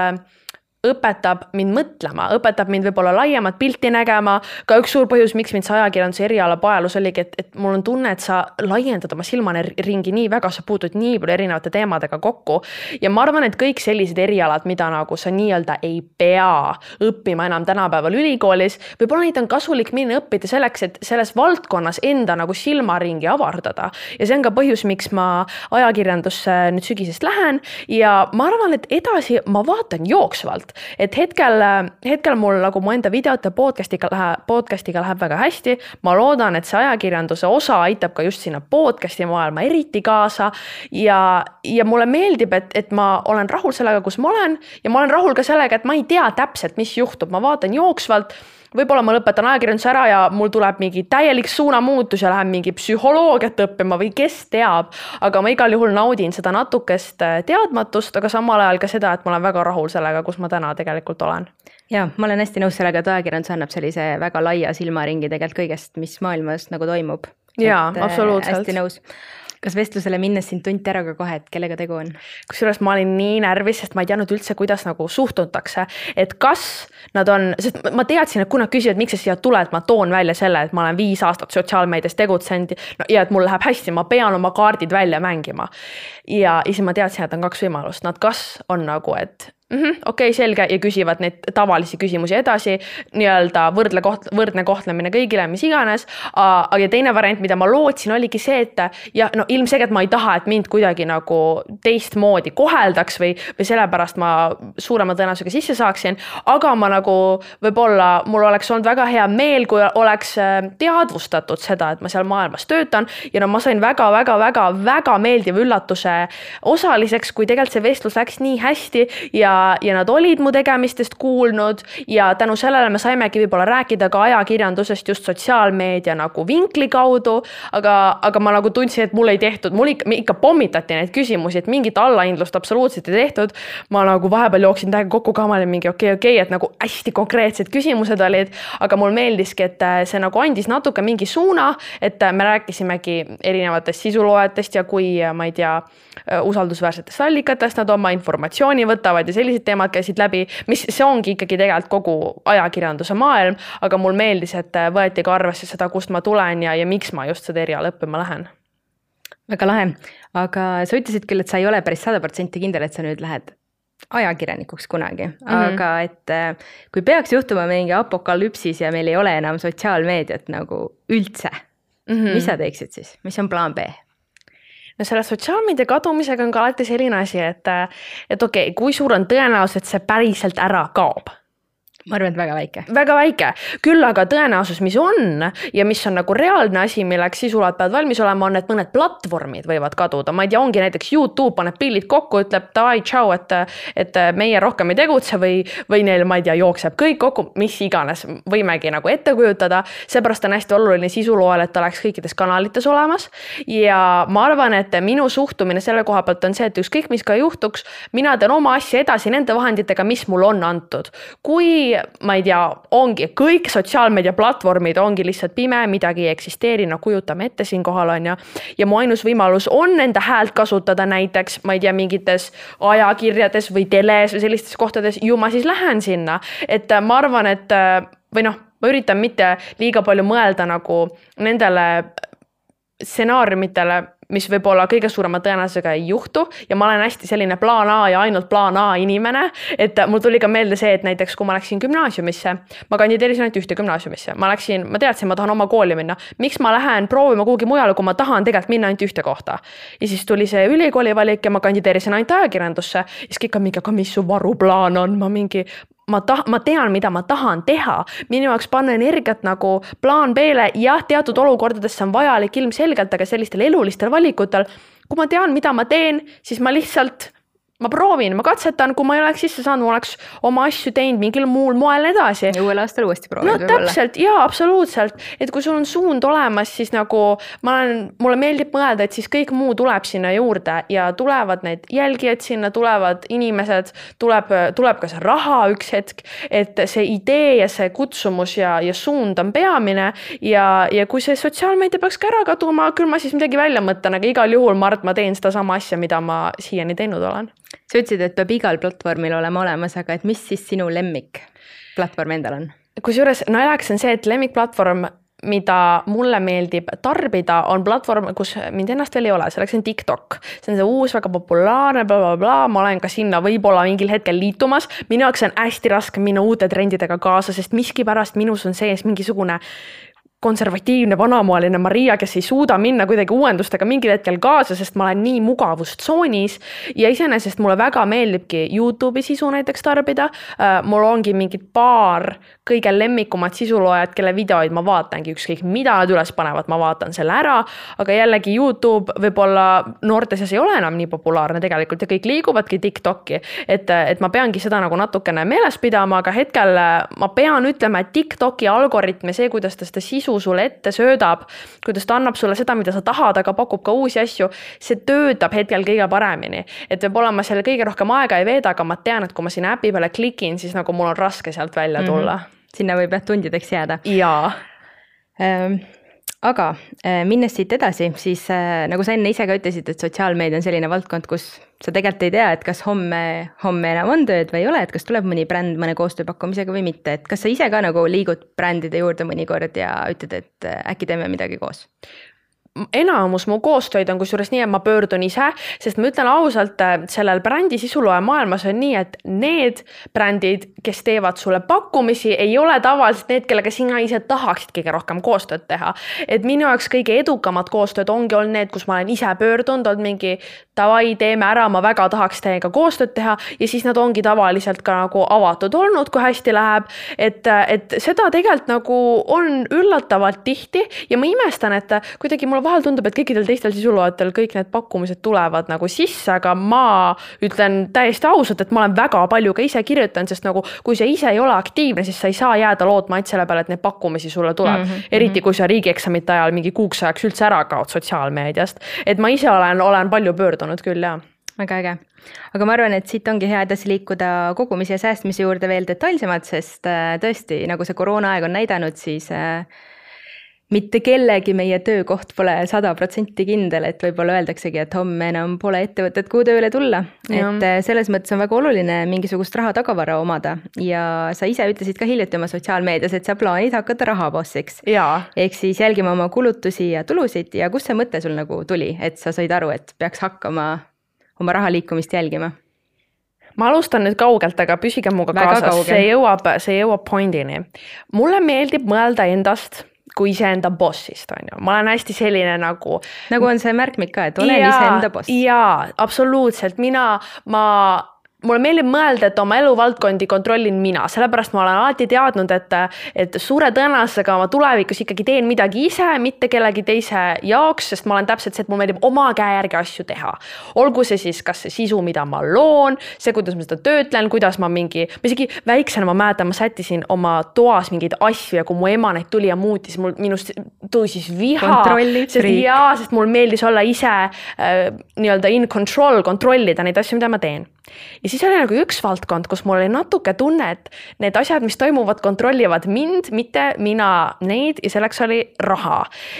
õpetab mind mõtlema, õpetab mind võib-olla laiemat pilti nägema. Ka üks suur põhjus, miks mind see ajakirjanduse eriala paelus oligi, et, et mul on tunne, et sa laiendad oma silmane ringi nii väga, sa puutud nii palju erinevate teemadega kokku. Ja ma arvan, et kõik sellised erialad, mida nagu sa nii-öelda ei pea õppima enam tänapäeval ülikoolis, võib-olla neid on kasulik minna õppida selleks, et selles valdkonnas enda nagu silmaringi avardada. Ja see on ka põhjus, miks ma ajakirjandusse nüüd sügisest lähen ja ma arvan, et edasi ma vaatan jooksvalt. Et hetkel, hetkel mul nagu mu enda videote podcastiga läheb, podcastiga läheb väga hästi. Ma loodan, et see ajakirjanduse osa aitab ka just sinna podcasti maailma eriti kaasa ja, ja mulle meeldib, et, et ma olen rahul sellega, kus ma olen ja ma olen rahul ka sellega, et ma ei tea täpselt, mis juhtub. Ma vaatan jooksvalt, võib-olla ma lõpetan ajakirjanduse ära ja mul tuleb mingi täielik suunamuutus ja lähen mingi psühholoogiat õppima või kes teab, aga ma igal juhul naudin seda natukest teadmatust, aga samal ajal ka seda, et ma olen väga rahul sellega, kus ma täna tegelikult olen. Ja, ma olen hästi nõus sellega, et ajakirjandus annab sellise väga laia silmaringi tegelikult kõigest, mis maailmas nagu toimub. Jaa, et, absoluutselt. Hästi nõus. Kas vestlusele minnes siin tunti ära ka kohe, et kellega tegu on? Kusjuures ma olin nii närvis, sest ma ei teadnud üldse, kuidas nagu suhtutakse, et kas nad on, sest ma teadsin, et kui nad küsivad, miks sa siia tuled, ma toon välja selle, et ma olen viis aastat sotsiaalmeedias tegutsenud no, ja et mul läheb hästi, ma pean oma kaardid välja mängima. Ja siis ma teadsin, et on kaks võimalust. Nad kas on nagu, et Mm-hmm, okei, okay, selge ja küsivad neid tavalisi küsimusi edasi, nii-öelda võrdle koht, võrdne kohtlemine kõigile, mis iganes. Aga teine variant, mida ma lootsin, oligi see, et ja, no, ilmselgelt ma ei taha, et mind kuidagi nagu teistmoodi koheldaks või, või sellepärast ma suurema tõenäosusega sisse saaksin. Aga ma nagu võib-olla mul oleks olnud väga hea meel, kui oleks teadvustatud seda, et ma seal maailmas töötan ja no ma sain väga, väga, väga, väga meeldiva üllatuse osaliseks, kui tegelikult see vestlus läks nii hästi ja ja nad olid mu tegemistest kuulnud ja tänu sellele me saimegi võib-olla rääkida ka ajakirjandusest just sotsiaalmeedia nagu vinkli kaudu, aga, aga ma nagu tundsin, et mul ei tehtud, mul ikka, ikka pommitati neid küsimusi, et mingit allahindlust absoluutselt ei tehtud. Ma nagu vahepeal jooksin täiega kokku ka, ma olin mingi okei, okay, okei, okay, et nagu hästi konkreetsed küsimused olid, aga mul meeldiski, et see nagu andis natuke mingi suuna, et me rääkisimegi erinevatest sisuloojatest ja kui, ma ei tea, usaldusväärsetest allikatest nad oma informatsiooni võtavad ja sellised teemad käisid läbi, mis see ongi ikkagi tegelikult kogu ajakirjanduse maailm, aga mul meeldis, et võeti ka arvesse seda, kust ma tulen ja, ja miks ma just seda eriala õppima lähen. Väga lahe, aga sa ütlesid küll, et sa ei ole päris sada protsenti kindel, et sa nüüd lähed ajakirjanikuks kunagi, mm-hmm. aga et kui peaks juhtuma mingi apokalüpsis ja meil ei ole enam sotsiaalmeediat nagu üldse, mm-hmm. mis sa teeksid siis? Mis on plaan B? No selle sotsiaalmeedia kadumisega on ka alati selline asi, et, et okei, okay, kui suur on tõenäosus, et see päriselt ära kaob? Ma arvan, et väga väike. Väga väike. Küll aga tõenäosus, mis on ja mis on nagu reaalne asi, milleks sisulad peavad valmis olema, on, et mõned platvormid võivad kaduda. Ma ei tea, ongi näiteks YouTube paneb pillid kokku, ütleb davai, tšau, et, et meie rohkem ei tegutse või, või neil, ma ei tea, jookseb kõik kokku, mis iganes võimegi nagu ette kujutada. Seepärast on hästi oluline sisuloojal, et ta oleks kõikides kanalites olemas. Ja ma arvan, et minu suhtumine selle koha pealt on see, et ükskõik mis ka juhtuks, mina teen oma asja edasi nende vahenditega, mis mul on antud. Kui ma ei tea, ongi kõik sotsiaalmeedia platvormid ongi lihtsalt pime, midagi ei eksisteeri, no kujutame ette siin kohal on ja, ja mu ainus võimalus on enda häält kasutada näiteks, ma ei tea, mingites ajakirjades või teles või sellistes kohtades, ju ma siis lähen sinna, et ma arvan, et või noh, ma üritan mitte liiga palju mõelda nagu nendele stsenaariumitele, mis võib olla kõige suurema tõenäosusega ei juhtu ja ma olen hästi selline plaan A ja ainult plaan A inimene, et mul tuli ka meelde see, et näiteks kui ma läksin gümnaasiumisse, ma kandideerisin ainult ühte gümnaasiumisse, ma läksin, ma teadsin, ma tahan oma kooli minna, miks ma lähen proovima kuhugi mujale, kui ma tahan tegelikult minna ainult ühte kohta. Ja siis tuli see ülikooli valik ja ma kandideerisin ainult ajakirjandusse, siis kõik on mingi, aga mis su varuplaan on, ma mingi, ma ta-, ma tean, mida ma tahan teha, minu jaoks panna energiat nagu plaan B-le, jah, teatud olukordades see on vajalik ilmselgelt, aga sellistel elulistel valikutel, kui ma tean, mida ma teen, siis ma lihtsalt ma proovin, ma katsetan, kui ma ei oleks sisse saanud, ma oleks oma asju teinud mingil muul moel edasi. Ja uuel aastal uuesti proovid no, võib-olla. Täpselt, jaa, absoluutselt. Et kui sul on suund olemas, siis nagu ma olen, mulle meeldib mõelda, et siis kõik muu tuleb sinna juurde ja tulevad need jälgijad sinna, tulevad inimesed, tuleb, tuleb ka see raha üks hetk, et see idee ja see kutsumus ja, ja suund on peamine ja, ja kui see sotsiaalmeedia peaks ka ära kaduma, küll ma siis midagi välja mõtlen, aga igal juhul ma arvan, ma teen seda sama asja, mida ma siiani teinud olen. Sa ütlesid, et peab igal platvormil olema olemas, aga et mis siis sinu lemmik platvorm endal on? Kusjuures naljaks on see, et lemmikplatvorm, mida mulle meeldib tarbida, on platvorm, kus mind ennast veel ei ole, selleks on TikTok. See on see uus, väga populaarne, bla, bla, bla. Ma olen ka sinna võib-olla mingil hetkel liitumas. Minu jaoks on hästi raske minna uute trendidega kaasa, sest miski pärast minus on sees mingisugune konservatiivne vanamoeline Maria, kes ei suuda minna kuidagi uuendustega mingil hetkel kaasa, sest ma olen nii mugavustsoonis ja iseenesest mulle väga meeldibki YouTube'i sisu näiteks tarbida. Mul ongi mingid paar kõige lemmikumat sisuloojad, kelle videoid ma vaatangi, ükskõik mida nad üles panevad, ma vaatan selle ära, aga jällegi YouTube võib-olla noorte seas ei ole enam nii populaarne tegelikult ja kõik liiguvadki TikTok'i, et, et ma peangi seda nagu natukene meeles pidama, aga hetkel ma pean ütlema, et TikTok'i algoritm ja see, kuidas ta seda sisu sulle ette söödab, kuidas ta annab sulle seda, mida sa tahad, aga pakub ka uusi asju, see töötab hetkel kõige paremini. Et võib-olla ma selle kõige rohkem aega ei veeda, aga ma tean, et kui ma siin äpi peale klikin, siis nagu mul on raske sealt välja tulla. Mm-hmm. Sinna võib jah tundideks jääda. Jaa. Ähm, aga minnes siit edasi, siis äh, nagu sa enne ise ka ütlesid, et sotsiaalmeedia on selline valdkond, kus sa tegelikult ei tea, et kas homme, homme enam on tööd või ei ole, et kas tuleb mõni bränd mõne koostööpakkumisega või mitte, et kas sa ise ka nagu liigud brändide juurde mõnikord ja ütled, et äkki teeme midagi koos? Enamus mu koostöid on kusjuures nii, et ma pöördun ise, sest ma ütlen ausalt, sellel brändi sisuloe maailmas on nii, et need brändid, kes teevad sulle pakkumisi, ei ole tavaliselt need, kellega sina ise tahaksid kõige rohkem koostööd teha. Et minu jaoks kõige edukamad koostööd ongi olnud need, kus ma olen ise pöördunud, olnud mingi tavai, teeme ära, ma väga tahaks teiega koostööd teha ja siis nad ongi tavaliselt ka nagu avatud olnud, kui hästi läheb. Et, et seda tegelikult nagu on üllatavalt tihti ja ma imestan, et kuidagi mul vahel tundub, et kõikidel teistel sisuloajatel kõik need pakkumised tulevad nagu sisse, aga ma ütlen täiesti ausalt, et ma olen väga palju ka ise kirjutanud, sest nagu kui sa ise ei ole aktiivne, siis sa ei saa jääda lootma et selle peale, et need pakkumisi sulle tuleb. Mm -hmm. Eriti kui sa riigieksamite ajal mingi kuuks ajaks üldse ära kaod sotsiaalmeediast. Et ma ise olen, olen palju pöördunud küll, jah. Väga äge. Aga ma arvan, et siit ongi hea edasi liikuda kogumise ja säästmise juurde veel detailsemalt, sest tõesti, nagu see koroona aeg on näidanud, siis mitte kellegi meie töökoht pole sada protsenti kindel, et võib-olla öeldaksegi, et homme enam pole ettevõtet, kuhu tööle tulla. Ja. Et selles mõttes on väga oluline mingisugust raha tagavara omada ja sa ise ütlesid ka hiljuti oma sotsiaalmeedias, et sa plaanid hakata rahabossiks. Ehk siis jälgima oma kulutusi ja tulusid ja kus see mõte sul nagu tuli, et sa said aru, et peaks hakkama oma raha liikumist jälgima? Ma alustan nüüd kaugelt, aga püsige muga kaasas. See jõuab, see jõuab pointini. Mulle meeldib mõelda endast kui iseenda bossist, on ju. Ma olen hästi selline nagu... Nagu on see märkmik ka, et olen ja, iseenda boss. Jaa, absoluutselt. Mina, ma... Mulle meeldib mõelda, et oma eluvaldkondi kontrollin mina, sellepärast ma olen alati teadnud, et, et suure tõenäosusega ma tulevikus ikkagi teen midagi ise, mitte kellegi teise jaoks, sest ma olen täpselt see, et mul meeldib oma käe järgi asju teha. Olgu see siis kas see sisu, mida ma loon, see, kuidas ma seda töötlen, kuidas ma mingi, ma isegi väiksena ma mäletan, ma sättisin oma toas mingeid asju ja kui mu ema neid tuli ja muutis, mul minust tõusis viha. Sest, jaa, sest mul meeldis olla ise äh, nii-öelda in control, kontrollida neid asju, mida ma teen. Ja siis oli nagu üks valdkond, kus mul oli natuke tunne, et need asjad, mis toimuvad, kontrollivad mind, mitte mina neid ja selleks oli raha.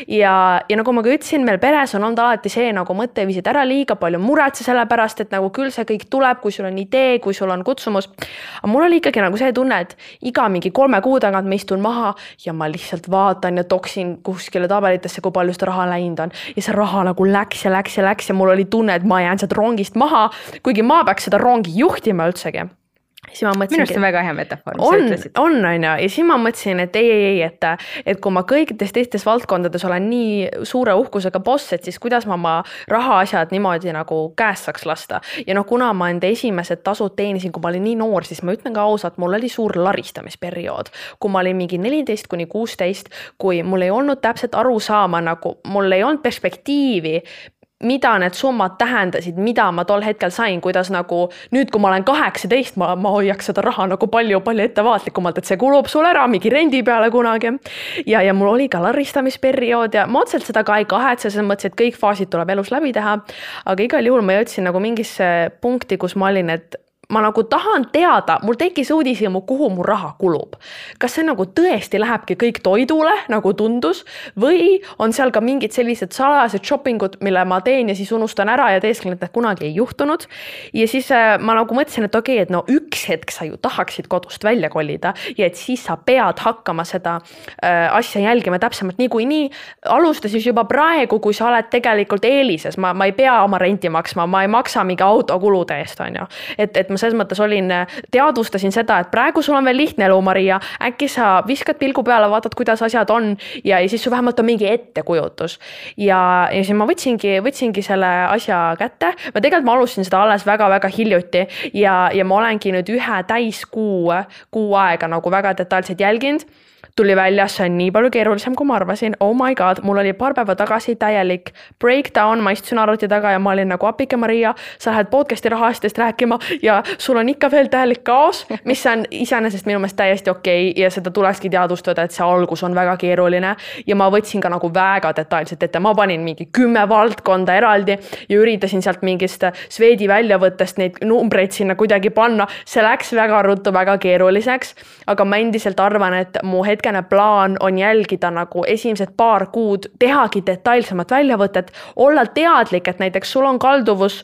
Ja, ja nagu ma ka ütlesin, meil peres on olnud alati see nagu mõtteviisid ära liiga palju muretse selle pärast, et nagu küll see kõik tuleb, kui sul on idee, kui sul on kutsumus. Aga mul oli ikkagi nagu see tunne, et iga mingi kolme kuu tagant ma istun maha ja ma lihtsalt vaatan ja toksin kuskile tabelitesse, kui palju seda raha läinud on. Ja see raha nagu läks ja läks ja läks ja mul oli tunne, et ma jään sealt rongist maha, kuigi ma peaks seda rongi juhtima üldsegi. siis ma mõtlesin, minu arust on väga hea metafoor, mis on, sa ütlesid. on, on ju, ja siis ma mõtlesin, et ei, ei, ei, et, et kui ma kõikides teistes valdkondades olen nii suure uhkusega boss, et siis kuidas ma oma rahaasjad niimoodi nagu käest saaks lasta. Ja noh, kuna ma enda esimesed tasud teenisin, kui ma olin nii noor, siis ma ütlen ka ausalt, mul oli suur laristamisperiood. Kui ma olin mingi neliteist kuni kuusteist, kui mul ei olnud täpselt aru saama, nagu mul ei olnud perspektiivi, mida need summad tähendasid, mida ma tol hetkel sain, kuidas nagu nüüd, kui ma olen kaheksateist, ma, ma hoiaks seda raha nagu palju, palju ettevaatlikumalt, et see kulub sul ära mingi rendi peale kunagi. Ja, ja mul oli ka laristamisperiood ja ma otseselt seda ka ei kahetse, selles mõttes, et kõik faasid tuleb elus läbi teha. Aga igal juhul ma jõudsin nagu mingisse punkti, kus ma olin, et ma nagu tahan teada, mul tekkis uudishimu, kuhu mu raha kulub. Kas see nagu tõesti lähebki kõik toidule, nagu tundus, või on seal ka mingid sellised salajased shoppingud, mille ma teen ja siis unustan ära ja teesklen, et need kunagi ei juhtunud. Ja siis ma nagu mõtlesin, et okei, et no üks hetk sa ju tahaksid kodust välja kolida ja et siis sa pead hakkama seda äh, asja jälgima täpsemalt niikuinii. Alusta siis juba praegu, kui sa oled tegelikult eelises. Ma, ma ei pea oma renti maksma, ma ei maksa mingi autokulude eest, on ju. Et, et ma selles mõttes olin, teadvustasin seda, et praegu sul on veel lihtne elu, Maria, äkki sa viskad pilgu peale, vaatad, kuidas asjad on ja, ja siis su vähemalt on mingi ettekujutus. Ja, ja siis ma võtsingi, võtsingi selle asja kätte. Ma tegelikult ma alustasin seda alles väga-väga hiljuti ja, ja ma olengi nüüd ühe täis kuu, kuu aega nagu väga detailselt jälginud. Tuli välja, see on nii palju keerulisem, kui ma arvasin. Oh my god, mul oli paar päeva tagasi täielik breakdown, ma istusin arvuti taga ja ma olin nagu apike Maria, sa lähed podcasti rahastest rääkima ja sul on ikka veel täielik kaos, mis on iseenesest minu meelest täiesti okei ja seda tulekski teadvustada, et see algus on väga keeruline ja ma võtsin ka nagu väga detailselt ette, ma panin mingi kümme valdkonda eraldi ja üritasin sealt mingist sveedi väljavõttest neid numbreid sinna kuidagi panna. See läks väga ruttu, väga keeruliseks, aga ma endiselt arvan, et mu hetk plaan on jälgida nagu esimesed paar kuud, tehagi detailsemat väljavõtet, olla teadlik, et näiteks sul on kalduvus,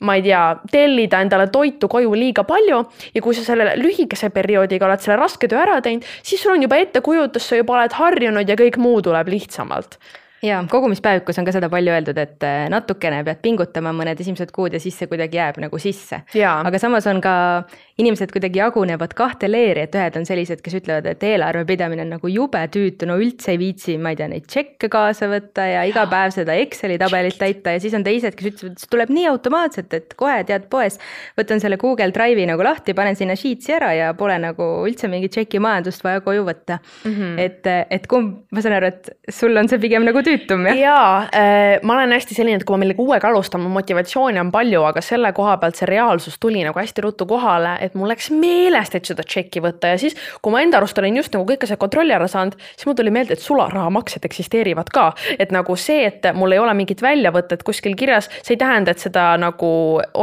ma ei tea, tellida endale toitu koju liiga palju ja kui sa selle lühikese perioodiga oled selle raske töö ära teinud, siis sul on juba ettekujutus, sa juba oled harjunud ja kõik muu tuleb lihtsamalt. Ja kogumispäevikus on ka seda palju öeldud, et natukene pead pingutama mõned esimesed kuud ja siis see kuidagi jääb nagu sisse. Ja. Aga samas on ka inimesed kuidagi jagunevad kahte leeri, et ühed on sellised, kes ütlevad, et eelarve pidamine on nagu jube tüütu, no üldse ei viitsi, ma ei tea, neid tšekke kaasa võtta ja iga päev seda Exceli tabelit täita ja siis on teised, kes ütlevad, et see tuleb nii automaatselt, et kohe tead poes, võtan selle Google Drive'i nagu lahti, panen sinna Sheetsi ära ja pole nagu üldse mingi tšeki majandust vaja koju võtta. Mm-hmm. Et, et kumb, ma saan aru, et sul on see pigem nagu tüütum, jah? Jaa, äh, ma olen hästi selline, et kui ma millegi uuega alustan, motivatsiooni on palju, aga selle koha pealt see reaalsus tuli nagu hästi ruttu kohale, et mul läks meelest, et seda tšekki võtta ja siis, kui ma enda arust olin just nagu kõike see kontrolli ära saanud, siis mul tuli meelde, et sularahamaksed eksisteerivad ka. Et nagu see, et mul ei ole mingit väljavõtet kuskil kirjas, see ei tähenda, et seda nagu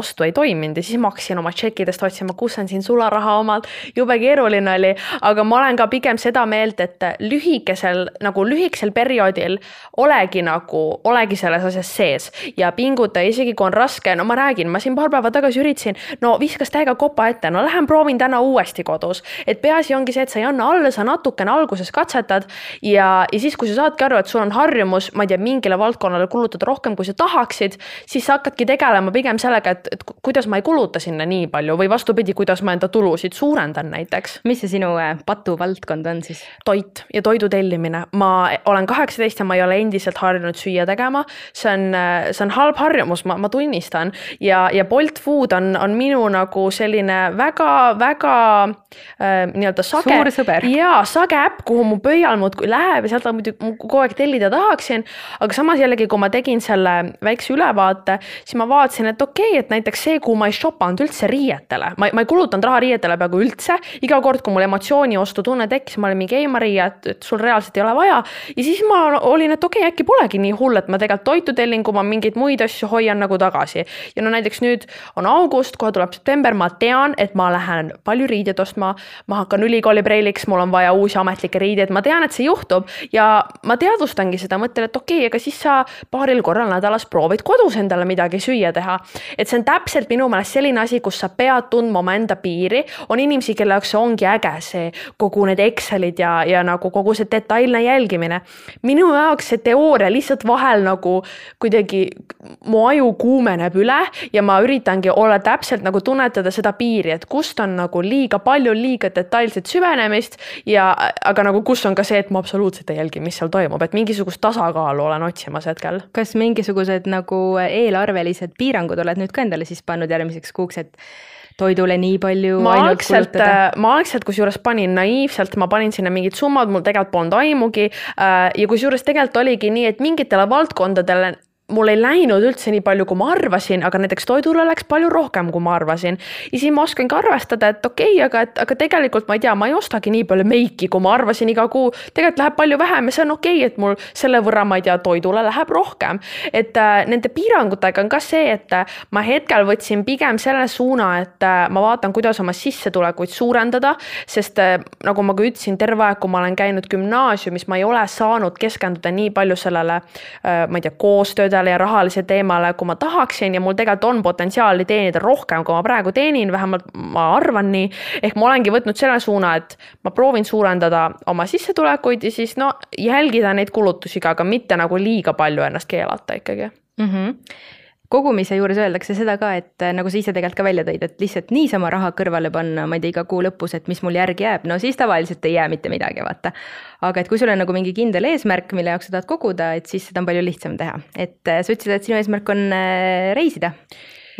ostu ei toiminud ja siis ma hakkasin oma tšekkidest otsima, kus on siin sularaha omalt, jube keeruline oli, aga ma olen ka pigem seda meelt, et lühikesel, nagu lühikesel perioodil olegi nagu, olegi selles asjas sees ja pinguta, isegi kui on raske, no ma räägin, ma siin paar päeva tagasi üritasin, no viskas täiega kopa ette, no lähen proovin täna uuesti kodus, et peaasi ongi see, et sa ei anna alla, sa natukene alguses katsetad ja, ja siis, kui sa saadki aru, et sul on harjumus, ma ei tea, mingile valdkonnale kulutada rohkem, kui sa tahaksid, siis sa hakkadki tegelema pigem sellega, et, et kuidas ma ei kuluta sinna nii palju või vastupidi, kuidas ma enda tulusid suurendan näiteks. Mis see sinu patuvaldkond on siis? Toit ja toidu tellimine. Ma olen kaheksateist ja ma ei ole endiselt harjunud süüa tegema. See on, see on halb harjumus, ma, ma tunnistan. Ja, ja Bolt Food on, on minu nagu selline väga, väga äh, nii-öelda sage. Suur sõber. Jaa, sage äpp, kuhu mu pöial muudkui läheb ja sealt on muidu kogu aeg tellida tahaksin. Aga samas jällegi, kui ma tegin selle väikse ülevaate, siis ma vaatasin, et okei, et näiteks see, kuhu ma ei shoppanud üldse riietele. Ma, ma ei kulutanud raha riietele peaaegu üldse. Iga kord, kui mul emotsiooni ostu tunne tekkis, ma olin mingi ei Maria, et, et sul reaalselt ei ole vaja. Ja siis ma olin, et okei, äkki polegi nii hull, et ma tegelikult toitu tellin, kui ma mingeid muid asju hoian nagu tagasi. Ja no näiteks nüüd on august, kohe tuleb september, ma tean, et ma lähen palju riideid ostma, ma hakkan ülikooli preiliks, mul on vaja uusi ametlikke riideid, ma tean, et see juhtub ja ma teadvustangi seda mõttel, et okei, aga siis sa paaril korral nädalas proovid kodus endale midagi süüa teha. Et see on täpselt minu meelest selline asi, kus sa pead tundma oma enda piiri, on inimesi, kelle jaoks see ongi äge, see kogu need Excelid ja, ja nagu kogu see detailne jälgimine. Minu jaoks see see teooria lihtsalt vahel nagu kuidagi mu aju kuumeneb üle ja ma üritangi olla täpselt nagu tunnetada seda piiri, et kust on nagu liiga palju, liiga detailset süvenemist ja aga nagu kus on ka see, et ma absoluutselt ei jälgi, mis seal toimub, et mingisugust tasakaalu olen otsimas hetkel. Kas mingisugused nagu eelarvelised piirangud oled nüüd ka endale siis pannud järgmiseks kuuks, et toidule nii palju ma ainult algselt, kulutada? Ma algselt kusjuures panin naiivselt, ma panin sinna mingid summad, mul tegelikult polnud aimugi ja kusjuures tegelikult oligi nii, et mingitele valdkondadele mul ei läinud üldse nii palju, kui ma arvasin, aga näiteks toidule läks palju rohkem, kui ma arvasin. Ja siis ma oskangi arvestada, et okei, okay, aga, et, aga tegelikult ma ei tea, ma ei ostagi nii palju meiki, kui ma arvasin iga kuu. Tegelikult läheb palju vähem ja see on okei, okay, et mul selle võrra, ma ei tea, toidule läheb rohkem. Et äh, nende piirangutega on ka see, et äh, ma hetkel võtsin pigem selle suuna, et äh, ma vaatan, kuidas oma sissetulekuid suurendada, sest äh, nagu ma ka ütlesin, terve aeg, kui ma olen käinud gümnaasiumis, ma ei ole saanud keskenduda nii palju sellele, äh, ma ei tea, koostöödele ja rahalise teemale, kui ma tahaksin ja mul tegelikult on potentsiaali teenida rohkem, kui ma praegu teenin, vähemalt ma arvan nii. Ehk ma olengi võtnud selle suuna, et ma proovin suurendada oma sissetulekuid ja siis no jälgida neid kulutusi ka, aga mitte nagu liiga palju ennast keelata ikkagi. Mm-hmm. Kogumise juures öeldakse seda ka, et nagu sa ise tegelikult ka välja tõid, et lihtsalt niisama raha kõrvale panna, ma ei tea, iga kuu lõpus, et mis mul järgi jääb, no siis tavaliselt ei jää mitte midagi, vaata. Aga et kui sul on nagu mingi kindel eesmärk, mille jaoks sa tahad koguda, et siis seda on palju lihtsam teha. Et sa ütlesid, et sinu eesmärk on reisida.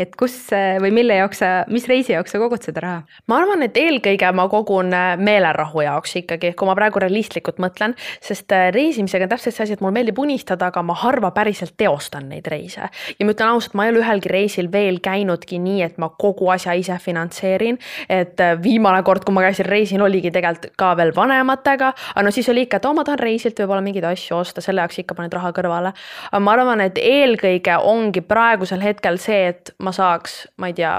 Et kus või mille jaoks sa, mis reisi jaoks sa kogud seda raha? Ma arvan, et eelkõige ma kogun meelerahu jaoks ikkagi, kui ma praegu realistlikult mõtlen, sest reisimisega on täpselt see asi, et mul meeldib unistada, aga ma harva päriselt teostan neid reise. Ja ma ütlen ausalt, ma ei ole ühelgi reisil veel käinudki nii, et ma kogu asja ise finantseerin. Et viimane kord, kui ma käisin reisil, oligi tegelikult ka veel vanematega, aga no siis oli ikka, et oh, ma tahan reisilt võib-olla mingeid asju osta, selle jaoks ikka paned raha kõrvale. Aga ma arvan, et eelkõige ongi praegusel hetkel see, et ma saaks, ma ei tea,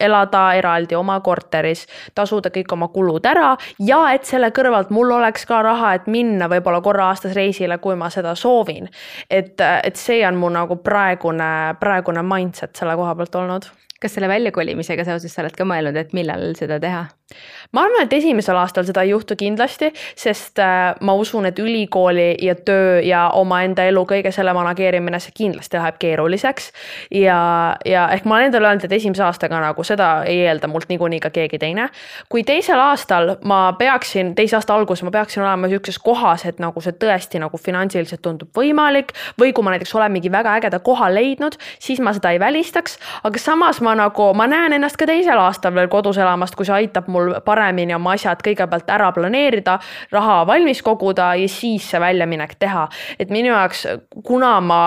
elada eraldi oma korteris, tasuda kõik oma kulud ära ja et selle kõrvalt mul oleks ka raha, et minna võib-olla korra aastas reisile, kui ma seda soovin. Et, et see on mu nagu praegune, praegune mindset selle koha pealt olnud. Kas selle väljakolimisega seoses sa oled ka mõelnud, et millal seda teha? Ma arvan, et esimesel aastal seda ei juhtu kindlasti, sest ma usun, et ülikooli ja töö ja oma enda elu kõige selle manageerimine, see kindlasti läheb keeruliseks. Ja, ja ehk ma olen endale öelnud, et esimese aastaga nagu seda ei eelda mult niikuinii ka keegi teine. Kui teisel aastal ma peaksin, teise aasta algus ma peaksin olema ükses kohas, et nagu see tõesti nagu finantsiliselt tundub võimalik või kui ma näiteks olen mingi väga ägeda koha leidnud, siis ma seda ei välistaks, aga samas ma nagu, ma näen ennast ka teisel aastal veel kodus elamast, kui see aitab mul paremini oma asjad kõigepealt ära planeerida, raha valmis koguda ja siis see väljaminek teha. Et minu jaoks, kuna ma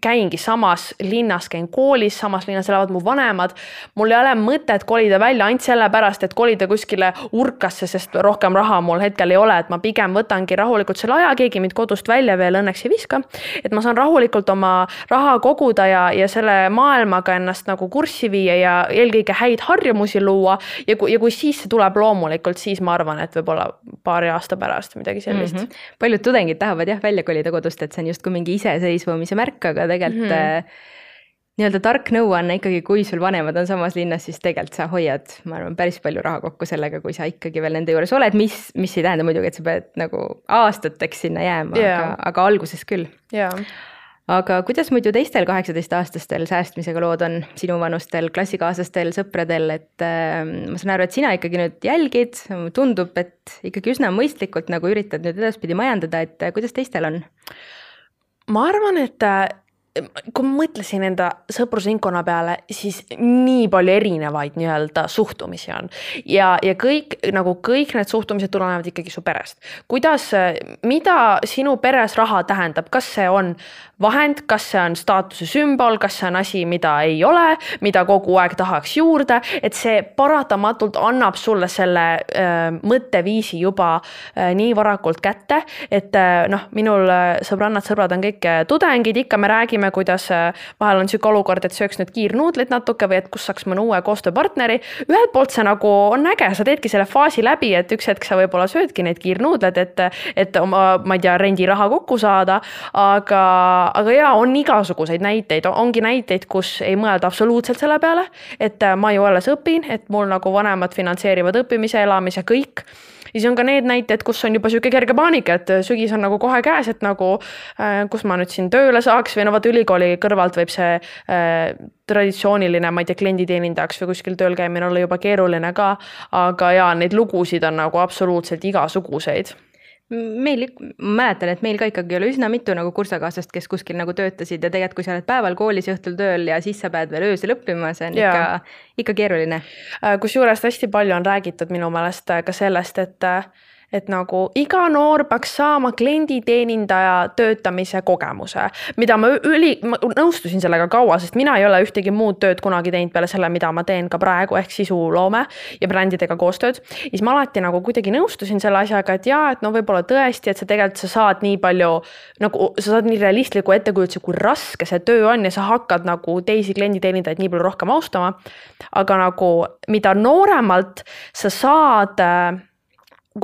käingi samas linnas, käin koolis, samas linnas elavad mu vanemad, mul ei ole mõtet kolida välja ainult selle pärast, et kolida kuskile urkasse, sest rohkem raha mul hetkel ei ole, et ma pigem võtangi rahulikult selle aja, keegi mind kodust välja veel õnneks ei viska, et ma saan rahulikult oma raha koguda ja, ja selle maailmaga ennast nagu kurssi viia ja eelkõige häid harjumusi luua ja kui, ja kui siis see tuleb loomulikult, siis ma arvan, et võib-olla paari aasta pärast midagi sellist. Mm-hmm. Paljud tudengid tahavad jah välja kolida kodust, et see on just kui mingi iseseisvumise märk, aga tegelikult mm-hmm. nii-öelda tark nõuanne ikkagi, kui sul vanemad on samas linnas, siis tegelikult sa hoiad, ma arvan, päris palju raha kokku sellega, kui sa ikkagi veel nende juures oled, mis, mis ei tähenda muidugi, et sa pead nagu aastateks sinna jääma, yeah. aga, aga alguses küll. Yeah. Aga kuidas muidu teistel kaheksateist-aastastel säästmisega lood on sinu vanustel, klassikaaslastel, sõpradel, et äh, ma saan aru, et sina ikkagi nüüd jälgid, tundub, et ikkagi üsna mõistlikult nagu üritad nüüd edaspidi majandada, et äh, kuidas teistel on? Ma arvan, et äh, kui ma mõtlesin enda sõprusringkonna peale, siis nii palju erinevaid nii-öelda suhtumisi on. Ja, ja kõik, nagu kõik need suhtumised tulenevad ikkagi su perest. Kuidas, mida sinu peres raha tähendab? Kas see on vahend, kas see on staatuse sümbol, kas see on asi, mida ei ole, mida kogu aeg tahaks juurde, et see paratamatult annab sulle selle äh, mõtteviisi juba äh, nii varakult kätte, et äh, noh, minul sõbrannad, sõbrad on kõik tudengid, ikka me räägime, kuidas vahel on siuke olukord, et sööks nüüd kiirnuudlit natuke või et kus saaks mõne uue koostööpartneri. Ühelt poolt see nagu on äge, sa teedki selle faasi läbi, et üks hetk sa võib-olla söödki neid kiirnuudled, et, et oma, ma ei tea, rendiraha kokku saada, aga, aga jaa, on igasuguseid näiteid, ongi näiteid, kus ei mõelda absoluutselt selle peale, et ma ju alles õpin, et mul nagu vanemad finantseerivad õppimise, elamise, kõik. siis on ka need näited, kus on juba siuke kerge paanika, et sügis on nagu kohe käes, et nagu kus ma nüüd siin tööle saaks või no vaata ülikooli kõrvalt võib see äh, traditsiooniline, ma ei tea, klienditeenindajaks või kuskil tööl käimine olla juba keeruline ka, aga jaa, neid lugusid on nagu absoluutselt igasuguseid. Meil, ma mäletan, et meil ka ikkagi oli üsna mitu nagu kursakaaslast, kes kuskil nagu töötasid ja tegelikult kui sa oled päeval koolis ja õhtul tööl ja siis sa pead veel öösel õppima, see on ja. ikka, ikka keeruline. Kusjuures hästi palju on räägitud minu meelest ka sellest, et et nagu iga noor peaks saama klienditeenindaja töötamise kogemuse, mida ma üli, ma nõustusin sellega kaua, sest mina ei ole ühtegi muud tööd kunagi teinud peale selle, mida ma teen ka praegu, ehk sisuloome ja brändidega koostööd. Siis ma alati nagu kuidagi nõustusin selle asjaga, et jaa, et no võib-olla tõesti, et sa tegelikult sa saad nii palju, nagu sa saad nii realistliku ettekujutuse, kui raske see töö on ja sa hakkad nagu teisi klienditeenindajaid nii palju rohkem austama. Aga nagu mida nooremalt sa saad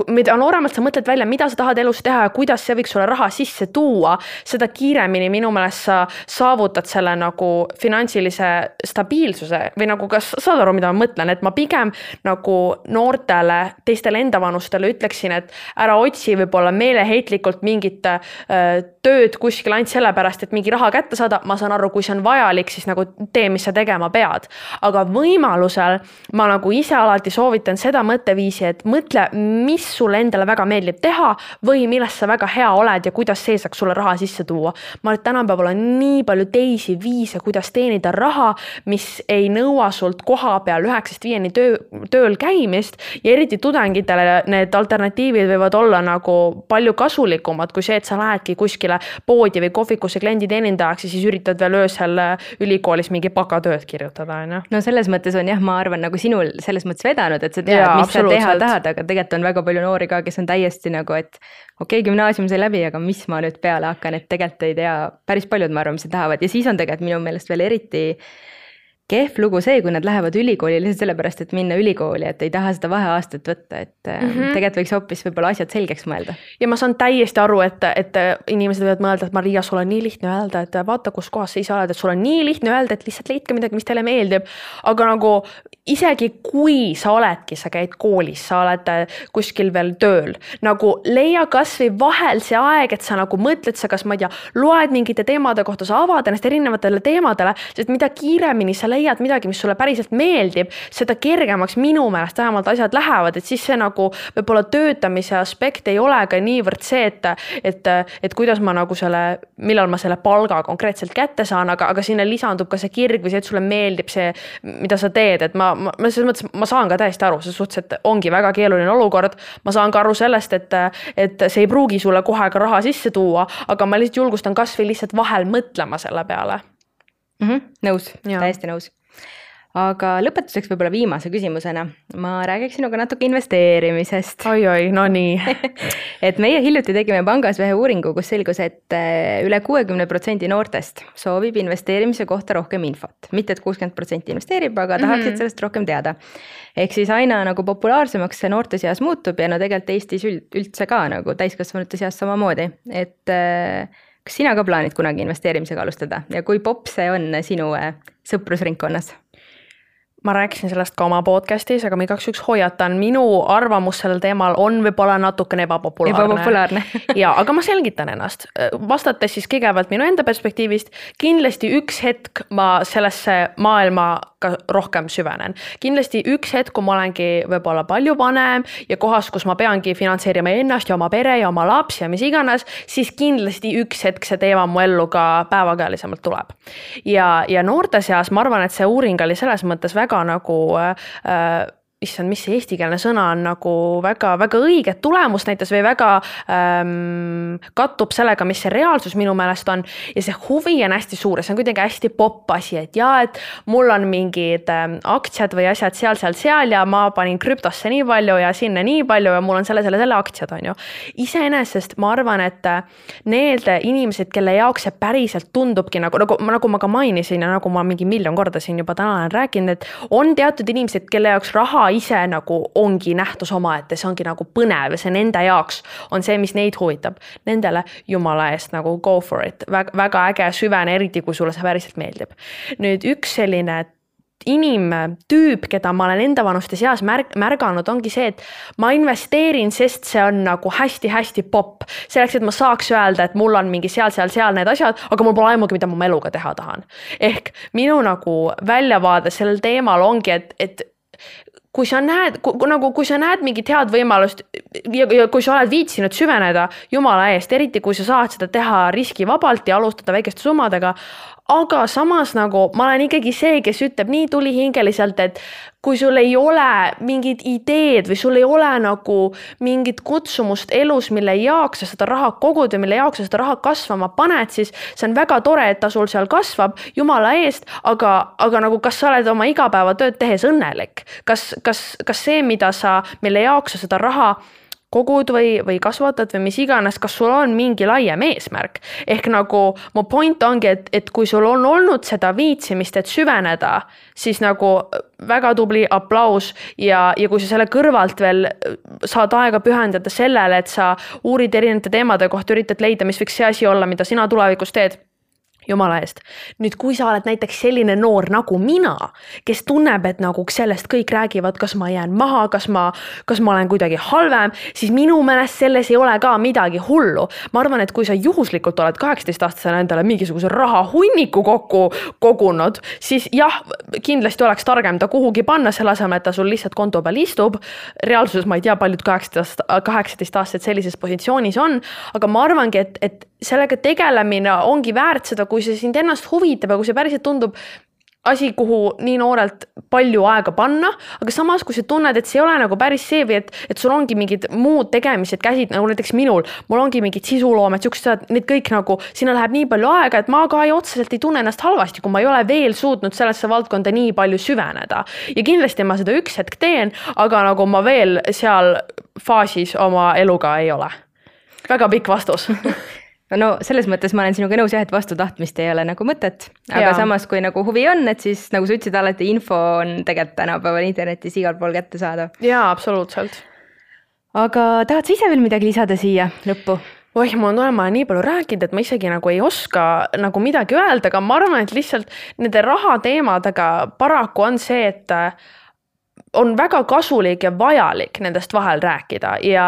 mida nooremalt sa mõtled välja, mida sa tahad elus teha ja kuidas see võiks sulle raha sisse tuua, seda kiiremini minu meelest sa saavutad selle nagu finantsilise stabiilsuse või nagu kas saad aru, mida ma mõtlen, et ma pigem nagu noortele, teistele endavanustele ütleksin, et ära otsi võib-olla meeleheitlikult mingit äh, tööd kuskil ainult sellepärast, et mingi raha kätte saada, ma saan aru, kui see on vajalik, siis nagu tee, mis sa tegema pead. Aga võimalusel ma nagu ise alati soovitan seda mõtteviisi, et mõtle, mis sulle endale väga meeldib teha või millest sa väga hea oled ja kuidas see saaks sulle raha sisse tuua. Ma arvan, et tänapäeval on nii palju teisi viise, kuidas teenida raha, mis ei nõua sult koha peal üheksast viieni töö, tööl käimist ja eriti tudengitele need alternatiivid võivad olla nagu palju kasulikumad kui see, et sa lähedki kuskile poodi või kohvikusse klienditeenindajaks ja siis üritad veel öösel ülikoolis mingi bakatööd kirjutada. No? no selles mõttes on jah, ma arvan nagu sinul selles mõttes vedanud, et sa tead, ja, mis sa teha tahad, aga tegelikult on väga palju noori ka, kes on täiesti nagu, et okei, gümnaasium sai läbi, aga mis ma nüüd peale hakkan, et tegelikult ei tea, päris paljud ma arvan, mis tahavad ja siis on tegelikult minu meelest veel eriti kehv lugu see, kui nad lähevad ülikooli lihtsalt sellepärast, et minna ülikooli, et ei taha seda vaheaastat võtta, et mm -hmm. tegelikult võiks hoopis võib-olla asjad selgeks mõelda. Ja ma saan täiesti aru, et, et inimesed võivad mõelda, et Maria, sul on nii lihtne öelda, et vaata, kus kohas sa ise oled, et sul on nii lihtne öelda, et lihtsalt leidke midagi, mis teile meeldib. Aga nagu isegi kui sa oledki, sa käid koolis, sa oled kuskil veel tööl, nagu leia kas või vahel see aeg, et sa nagu mõtled, sa kas ma ei tea, loed mingite teemade kohta, sa avad ennast erinevatele teemadele, sest mida kiiremini sa leiad midagi, mis sulle päriselt meeldib, seda kergemaks minu meelest vähemalt asjad lähevad, et siis see nagu võib-olla töötamise aspekt ei ole ka niivõrd see, et, et, et kuidas ma nagu selle, millal ma selle palga konkreetselt kätte saan, aga, aga sinna lisandub ka see kirg või see, et sulle meeldib see, mida sa teed, et ma, ma, ma selles mõttes, ma saan ka täiesti aru, selles suhtes, et ongi väga keeruline olukord, ma saan ka aru sellest, et, et see ei pruugi sulle kohe ka raha sisse tuua, aga ma lihtsalt julgustan kas või lihtsalt vahel mõtlema selle peale. Mm -hmm, nõus, täiesti nõus. Aga lõpetuseks võib-olla viimase küsimusena ma räägiks sinuga natuke investeerimisest. Oi, oi, no nii. et meie hiljuti tegime pangas ühe uuringu, kus selgus, et üle kuuekümne protsendi noortest soovib investeerimise kohta rohkem infot. Mitte, et kuuskümmend protsenti investeerib, aga tahaksid mm -hmm. sellest rohkem teada. Ehk siis aina nagu populaarsemaks see noorte seas muutub ja no tegelikult Eestis üldse ka nagu täiskasvanute seas samamoodi. Et kas sina ka plaanid kunagi investeerimisega alustada ja kui popp see on sinu sõprusringkonnas? Ma rääkisin sellest ka oma podcastis, aga ma igaks üks hoiatan, minu arvamus sellel teemal on võib-olla natukene ebapopulaarne. Ebapopulaarne. ja, aga ma selgitan ennast. Vastates siis kõigepealt minu enda perspektiivist, kindlasti üks hetk ma sellesse maailma ka rohkem süvenen. Kindlasti üks hetk, kui ma olengi võib-olla palju vanem ja kohas, kus ma peangi finantseerima ennast ja oma pere ja oma lapsi ja mis iganes, siis kindlasti üks hetk see teema mu ellu ka päevakajalisemalt tuleb. Ja, ja noorte seas ma arvan, et see uuring oli selles mõttes väga nagu äh, issand, mis see eestikeelne sõna on nagu väga, väga õiget tulemust näitas või väga ähm, kattub sellega, mis see reaalsus minu meelest on ja see huvi on hästi suur ja see on kuidagi hästi popp asi, et jaa, et mul on mingid ähm, aktsiad või asjad seal, seal, seal ja ma panin krüptosse nii palju ja sinna nii palju ja mul on selle, selle, selle aktsiad on ju. Iseenesest ma arvan, et need inimesed, kelle jaoks see päriselt tundubki nagu, nagu, nagu ma ka mainisin ja nagu ma mingi miljon korda siin juba täna olen rääkinud, et on teatud inimesed, kelle jaoks raha ise nagu ongi nähtus omaette, see ongi nagu põnev ja see nende jaoks on see, mis neid huvitab. Nendele jumala eest nagu go for it. Väga, väga äge süvene, eriti kui sulle see päriselt meeldib. Nüüd üks selline inimtüüp, keda ma olen enda vanuste seas märg märganud, ongi see, et ma investeerin, sest see on nagu hästi-hästi popp. Selleks, et ma saaks öelda, et mul on mingi seal, seal, seal need asjad, aga mul pole aimugi, mida ma eluga teha tahan. Ehk minu nagu väljavaade sellel teemal ongi, et, et kui sa näed, kui, nagu, kui sa näed mingit head võimalust ja, ja kui sa oled viitsinud süveneda jumala eest, eriti kui sa saad seda teha riskivabalt ja alustada väikeste summadega, aga samas nagu ma olen ikkagi see, kes ütleb nii tulihingeliselt, et kui sul ei ole mingid ideed või sul ei ole nagu mingit kutsumust elus, mille jaoks sa seda raha kogud ja mille jaoks sa seda raha kasvama paned, siis see on väga tore, et ta sul seal kasvab jumala eest, aga, aga nagu kas sa oled oma igapäevatööd tehes õnnelik? Kas, kas, kas see, mida sa, mille jaoks sa seda raha kogud või, või kasvatad või mis iganes, kas sul on mingi laiem eesmärk. Ehk nagu mu point ongi, et, et kui sul on olnud seda viitsimist, et süveneda, siis nagu väga tubli aplaus ja, ja kui sa selle kõrvalt veel saad aega pühendada sellele, et sa uurid erinevate teemade kohta, üritad leida, mis võiks see asi olla, mida sina tulevikus teed, jumala eest. Nüüd, kui sa oled näiteks selline noor nagu mina, kes tunneb, et nagu sellest kõik räägivad, kas ma jään maha, kas ma, kas ma olen kuidagi halvem, siis minu meelest selles ei ole ka midagi hullu. Ma arvan, et kui sa juhuslikult oled kaheksateist-aastasena endale mingisuguse raha hunniku kokku kogunud, siis jah, kindlasti oleks targem ta kuhugi panna, selle asemel, et ta sul lihtsalt konto peal istub. Reaalsuses ma ei tea, paljud kaheksateist-aastased sellises positsioonis on, aga ma arvangi, et, et sellega tegelemine ongi väärt seda, kui see sind ennast huvitab ja kui see päriselt tundub asi, kuhu nii noorelt palju aega panna, aga samas, kui sa tunned, et see ei ole nagu päris see või et, et sul ongi mingid muud tegemised käsid, nagu näiteks minul, mul ongi mingid sisuloomed, siuksed, need kõik nagu, sinna läheb nii palju aega, et ma ka ei otseselt ei tunne ennast halvasti, kui ma ei ole veel suutnud sellesse valdkonda nii palju süveneda. Ja kindlasti ma seda üks hetk teen, aga nagu ma veel seal faasis oma eluga ei ole. Väga pikk vastus. No selles mõttes ma olen sinuga nõus jah, et vastu tahtmist ei ole nagu mõtet, aga ja. Samas kui nagu huvi on, et siis nagu sa ütlesid alati, info on tegelikult tänapäeval internetis igal pool kätte saada. Jaa, absoluutselt. Aga tahad sa ise veel midagi lisada siia lõppu? Oih, mul on olema nii palju rääkinud, et ma isegi nagu ei oska nagu midagi öelda, aga ma arvan, et lihtsalt nende raha teemadega paraku on see, et on väga kasulik ja vajalik nendest vahel rääkida ja,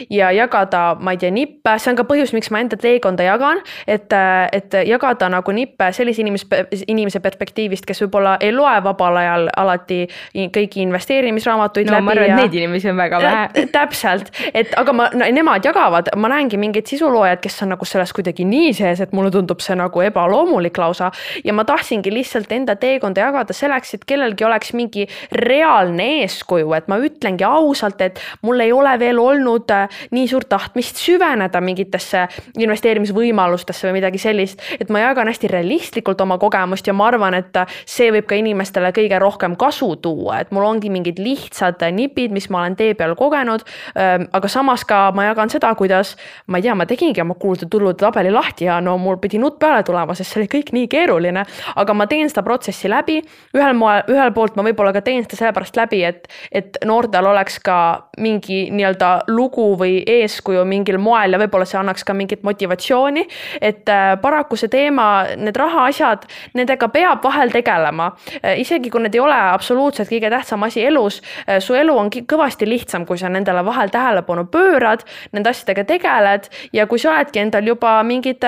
ja jagada, ma ei tea, nippe. See on ka põhjus, miks ma enda teekonda jagan, et, et jagada nagu nippe sellise inimese, inimese perspektiivist, kes võib-olla ei loe vabal ajal alati kõiki investeerimisraamatuid no, läbi. Ma arvan, ja, et neid inimesi on väga vähe. Täpselt, et aga ma, nemad jagavad, ma näengi mingid sisuloojad, kes on nagu selles kuidagi nii sees, et mulle tundub see nagu ebaloomulik lausa ja ma tahtsingi lihtsalt enda teekonda jagada selleks, et kellelgi oleks mingi reaalne eeskuju, et ma ütlengi ausalt, et mul ei ole veel olnud nii suurt tahtmist süveneda mingitesse investeerimisvõimalustesse või midagi sellist, et ma jagan hästi realistlikult oma kogemust ja ma arvan, et see võib ka inimestele kõige rohkem kasu tuua, et mul ongi mingid lihtsad nipid, mis ma olen tee peal kogenud, aga samas ka ma jagan seda, kuidas, ma ei tea, ma tegingi oma kulude tulude tabeli lahti ja no mul pidi nutt peale tulema, sest see oli kõik nii keeruline, aga ma teen seda protsessi läbi, ühel, moel, ühel poolt ma võib-olla ka teen seda sellepärast läbi, et, et noortel oleks ka mingi nii-öelda lugu või eeskuju mingil moel ja võib-olla see annaks ka mingit motivatsiooni, et paraku see teema, need raha asjad, nendega peab vahel tegelema. Isegi kui need ei ole absoluutselt kõige tähtsam asi elus, su elu on kõvasti lihtsam, kui sa nendele vahel tähelepanu pöörad, nende asjadega tegeled ja kui sa oledki endal juba mingid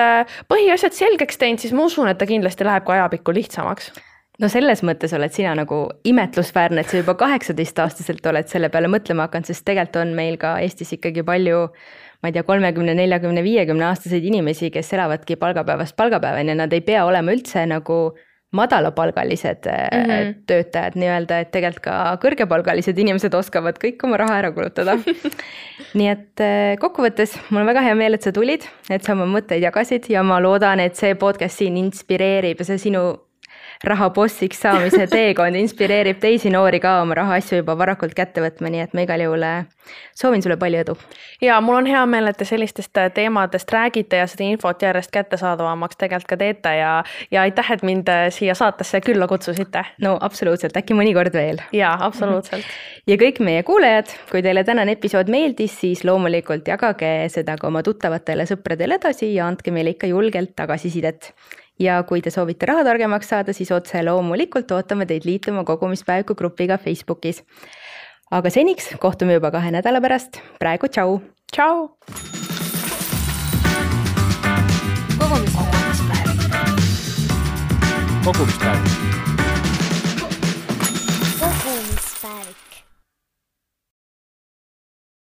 põhiasjad selgeks teinud, siis ma usun, et ta kindlasti läheb ka ajapikku lihtsamaks. No selles mõttes oled sina nagu imetlusväärne, et sa juba kaheksateist-aastaselt oled selle peale mõtlema hakanud, sest tegelikult on meil ka Eestis ikkagi palju, ma ei tea, kolmekümne, neljakümne, viiekümne aastaseid inimesi, kes elavadki palgapäevast palgapäevani ja nad ei pea olema üldse nagu madalapalgalised mm-hmm. töötajad nii-öelda, et tegelikult ka kõrgepalgalised inimesed oskavad kõik oma raha ära kulutada. Nii et kokkuvõttes mul on väga hea meel, et sa tulid, et sa oma mõtteid jagasid ja ma loodan, et see podcast siin inspireerib ja see sinu rahabossiks saamise teekond inspireerib teisi noori ka oma rahaasju juba varakult kätte võtma, nii et ma igal juhul soovin sulle palju edu. Ja mul on hea meel, et te sellistest teemadest räägite ja seda infot järjest kättesaadavamaks tegelikult ka teete ja, ja aitäh, et mind siia saatesse külla kutsusite. No absoluutselt, äkki mõnikord veel. Ja, absoluutselt. Ja kõik meie kuulajad, kui teile tänane episood meeldis, siis loomulikult jagage seda ka oma tuttavatele sõpradele edasi ja andke meile ikka julgelt tagasisidet. ja kui te soovite rahatargemaks saada, siis otse loomulikult ootame teid liituma kogumispäeviku grupiga Facebookis. Aga seniks kohtume juba kahe nädala pärast. Praegu tšau! Tšau! Kogumispäevik. Kogumispäevik.